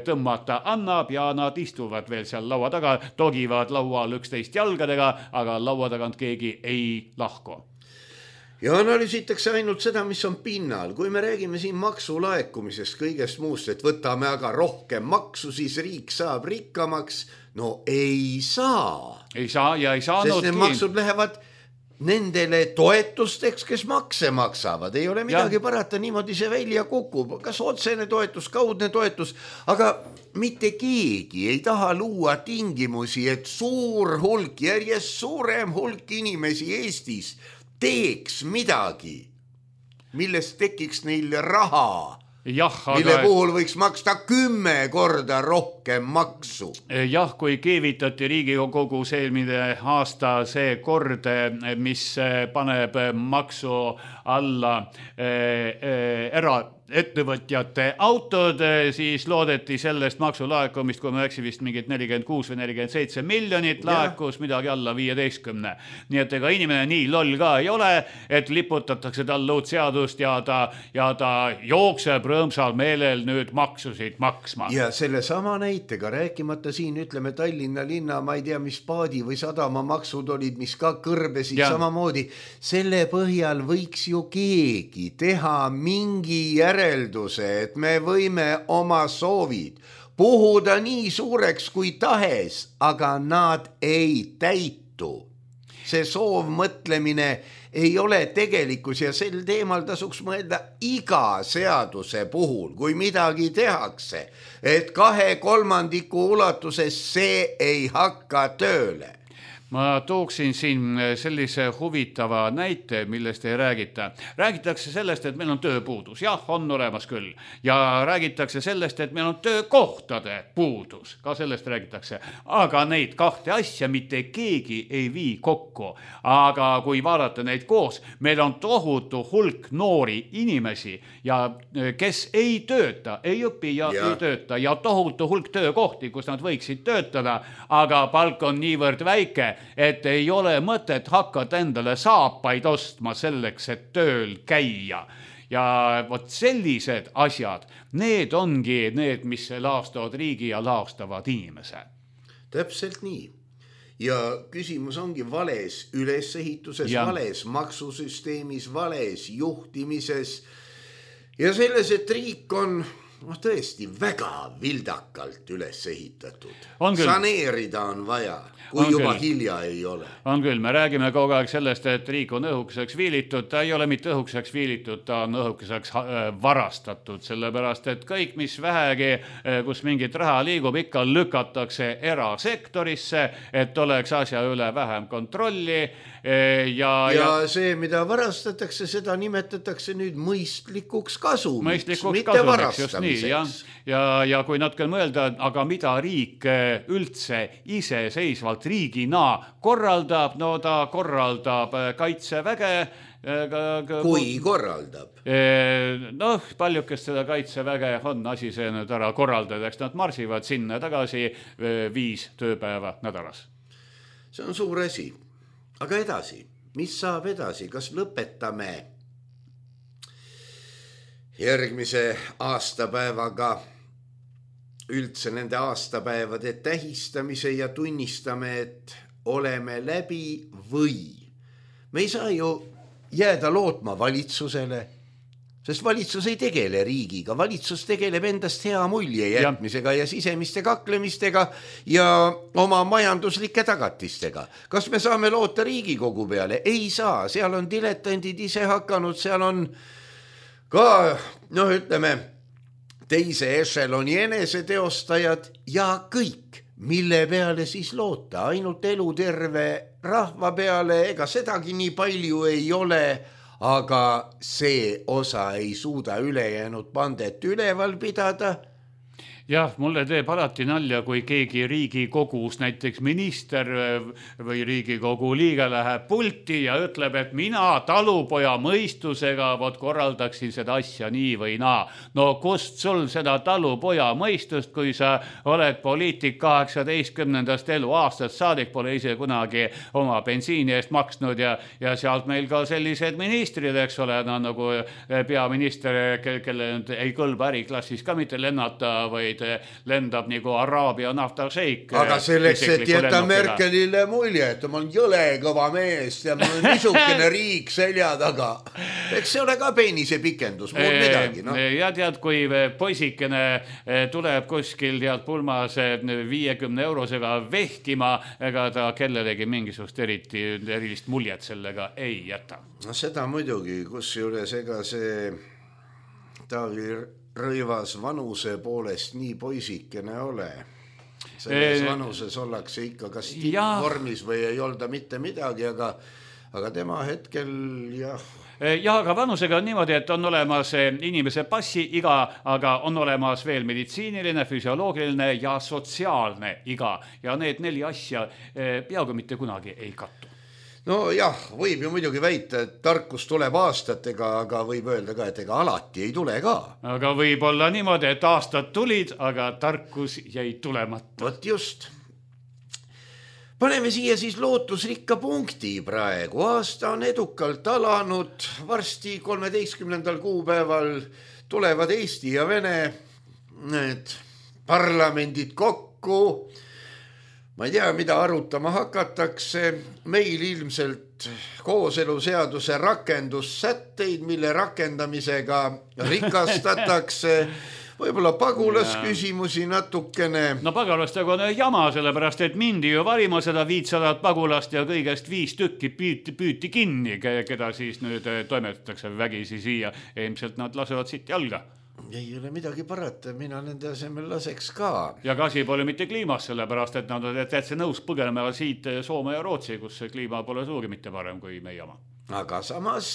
tõmmata annab ja nad istuvad veel seal laua taga, togivad laual üksteist jalgadega, aga laua tagant keegi ei lahku. ja analüüsitakse ainult seda, mis on pinnal. Kui me räägime siin maksulaekumisest kõigest muust, et võtame aga rohkem maksu, siis riik saab rikkamaks. No ei saa. Ei saa ja ei saanudki. Sest need maksud lähevad nendele toetusteks, kes makse maksavad. Ei ole midagi ja. Parata, niimoodi see välja kukub. Kas otsene toetus, kaudne toetus, aga mitte keegi ei taha luua tingimusi, et suur hulk, järjest suurem hulk inimesi Eestis teeks midagi, millest tekiks neil raha, jah, mille aga... puhul võiks maksta kümme korda rohkem maksu. Jah, kui keevitati Riigikogus eelmine aasta see kord, mis paneb maksu alla era ettevõtjate autod, siis loodeti sellest maksulaekumist, kui ma eksin vist mingit nelikümmend kuus või nelikümmend seitse miljonit laekus, midagi alla viieteistkümne. Nii et ega inimene nii loll ka ei ole, et liputatakse talle uut seadust ja ta, ja ta jookseb rõõmsal meelel nüüd maksusid maksma. Ja selle sama näitega, rääkimata siin ütleme Tallinna linna, ma ei tea, mis paadi või sadama maksud olid, mis ka kõrbesid ja. Samamoodi. Selle põhjal võiks ju keegi teha mingi järg järelduse, et me võime oma soovid puhuda nii suureks kui tahes, aga nad ei täitu. See soovmõtlemine ei ole tegelikkus ja sel teemal tasuks mõelda iga seaduse puhul, kui midagi tehakse, et kahe kolmandiku ulatuses see ei hakka tööle. Ma tooksin siin sellise huvitava näite, millest ei räägita. Räägitakse sellest, et meil on tööpuudus. Jah, on olemas küll. Ja räägitakse sellest, et meil on töökohtade puudus. Ka sellest räägitakse. Aga neid kahte asja mitte keegi ei vii kokku. Aga kui vaadata neid koos, meil on tohutu hulk noori inimesi, ja kes ei tööta, ei õpi ja, ja. ei tööta. Ja tohutu hulk töökohti, kus nad võiksid töötada, aga palk on niivõrd väike, et ei ole mõtet hakata endale saapaid ostma selleks, et tööl käia. Ja vot sellised asjad, need ongi need, mis laastavad riigi ja laastavad inimese. Täpselt nii. Ja küsimus ongi vales ülesehituses, ja. Vales maksusüsteemis, vales juhtimises ja selles, et riik on no tõesti väga vildakalt üles ehitatud. Saneerida on vaja, kui on juba küll. Hilja ei ole. On küll, me räägime kogu aeg sellest, et riik on õhukeseks viilitud, ta ei ole mitte õhukeseks viilitud, ta on õhukeseks varastatud, sellepärast, et kõik, mis vähegi, kus mingit raha liigub, ikka lükatakse erasektorisse, et oleks asja üle vähem kontrolli. Ja, ja, ja see, mida varastatakse, seda nimetatakse nüüd mõistlikuks kasumiks, mõistlikuks mitte kasumiks, varastamiseks. Nii, ja, ja, ja kui natuke mõelda, aga mida riik üldse iseseisvalt riigina korraldab, no ta korraldab kaitseväge. Kui korraldab? Noh, paljukest seda kaitseväge on asi see nüüd ära korraldada, eks nad marsivad sinna tagasi viis tööpäeva nädalas. See on suur asi. Aga edasi, mis saab edasi? Kas lõpetame järgmise aastapäevaga üldse nende aastapäevade tähistamise ja tunnistame, et oleme läbi või? Me ei saa ju jääda lootma valitsusele, sest valitsus ei tegele riigiga, valitsus tegeleb endast hea mulje jätmisega ja, ja sisemiste kaklemistega ja oma majanduslike tagatistega. Kas me saame loota Riigikogu peale? Ei saa, seal on diletandid ise hakanud, seal on ka, noh ütleme, teise ešeloni eneseteostajad ja kõik, mille peale siis loota, ainult eluterve rahva peale, ega sedagi nii palju ei ole, aga see osa ei suuda ülejäänud pandet üleval pidada. Jah, mulle teeb alati nalja, kui keegi Riigikogus, näiteks minister või Riigikogu liige läheb pulti ja ütleb, et mina talupoja mõistusega vot korraldaksin seda asja nii või naa. No kust sul seda talupoja mõistust, kui sa oled poliitik kaheksateistkümnendast eluaastast saadik, pole ise kunagi oma bensiini eest maksnud ja, ja sealt meil ka sellised ministrid, eks ole, no, nagu peaminister, kelle ei kõlba äriklassis ka mitte lennata, vaid vaid lendab nagu Araabia naftašeik. Aga selleks, et jätta Merkelile mulje, et ma olen jõle kõva mees ja mul on niisugune riik selja taga. Eks see ole ka peenise pikendus, muud midagi. No. Ja tead, kui poisikene tuleb kuskil tead pulmas viiekümne eurosega vehkima, ega ta kellelegi mingisugust eriti, erilist muljet sellega ei jäta. No seda muidugi, kus juures ega see Taavi Rõivas vanuse poolest nii poisikene ole. Selles vanuses ollakse ikka kas tippvormis või ei olda mitte midagi, aga, aga tema hetkel jah. Ja, aga vanusega on niimoodi, et on olemas inimese passi iga, aga on olemas veel meditsiiniline, füsioloogiline ja sotsiaalne iga. Ja need neli asja peaaegu mitte kunagi ei kattu. No jah, võib ju muidugi väita, et tarkus tuleb aastatega, aga võib öelda ka, et ega alati ei tule ka. Aga võib olla niimoodi, et aastad tulid, aga tarkus jäi tulemata. Vot just. Paneme siia siis lootusrikka punkti praegu. Aasta on edukalt alanud. Varsti kolmeteistkümnendal kuupäeval tulevad Eesti ja Vene need parlamendid kokku. Ma ei tea, mida arutama hakatakse. Meil ilmselt kooseluseaduse rakendussätteid, mille rakendamisega rikastatakse. Võib-olla pagulasküsimusi natukene. No pagulastega on jama, sellepärast, et mindi ju valima seda viitsadat pagulast ja kõigest viis tükki püüti, püüti kinni, keda siis nüüd toimetatakse vägisi siia. Ilmselt nad lasevad siit jalga. Ei ole midagi parata, mina nende asemel laseks ka. Ja kasi pole mitte kliimas, sellepärast, et nad on täitsa nõus põgenema siit Soome ja Rootsi, kus kliima pole suuri mitte parem kui meie oma. Aga samas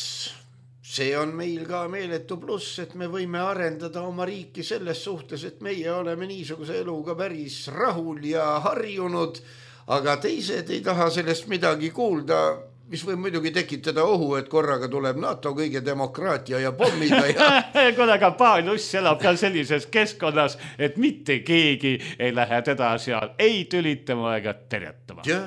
see on meil ka meeletu pluss, et me võime arendada oma riiki selles suhtes, et meie oleme niisuguse eluga päris rahul ja harjunud, aga teised ei taha sellest midagi kuulda, mis võib muidugi tekitada ohu, et korraga tuleb NATO kõige demokraatia ja pommida. Ja... Kodega Paulus elab ka sellises keskkonnas, et mitte keegi ei lähe teda seal ei tülitama ega terjatama. Ja,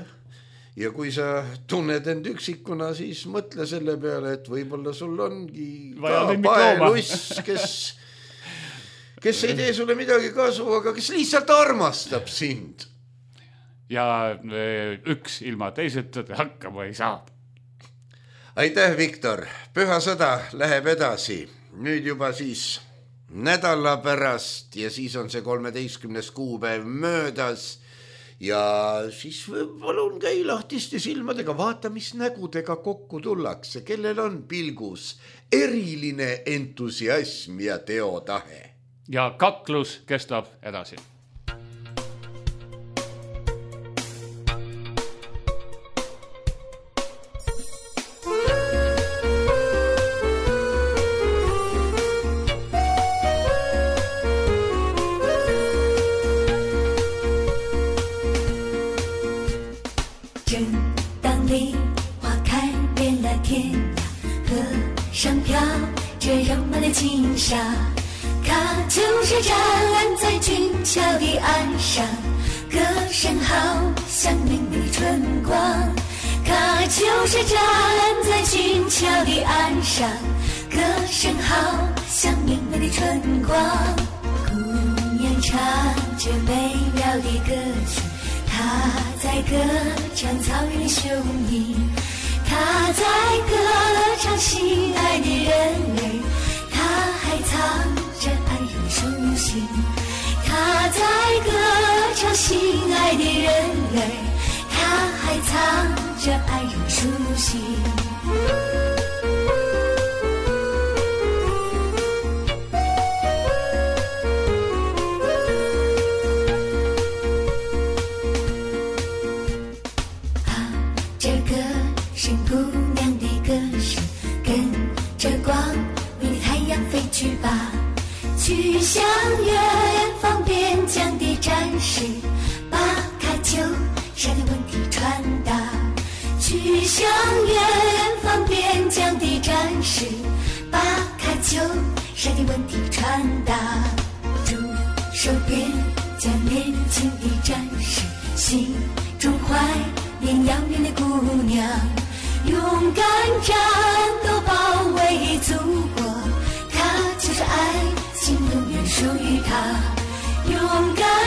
ja kui sa tunned end üksikuna, siis mõtle selle peale, et võib-olla sul ongi ka paeluss, kes, kes ei tee sulle midagi kasu, aga kes lihtsalt armastab sind. Ja üks ilma teiseta hakkama ei saa. Aitäh, Viktor. Püha sõda läheb edasi. Nüüd juba siis nädala pärast ja siis on see kolmeteistkümnes kuupäev möödas. Ja siis palun käi lahtiste silmadega, vaata, mis nägudega kokku tullakse, kellel on pilgus eriline entusiasm ja teotahe. Ja kaklus kestab edasi.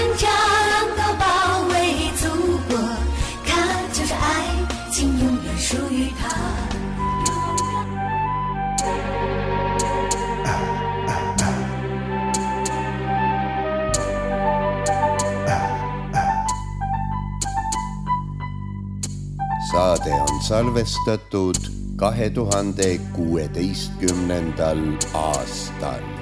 人家让都保卫祖国，它就是爱情，永远属于他。Saade on salvestatud kahe tuhande kuueteistkümnendal aastal.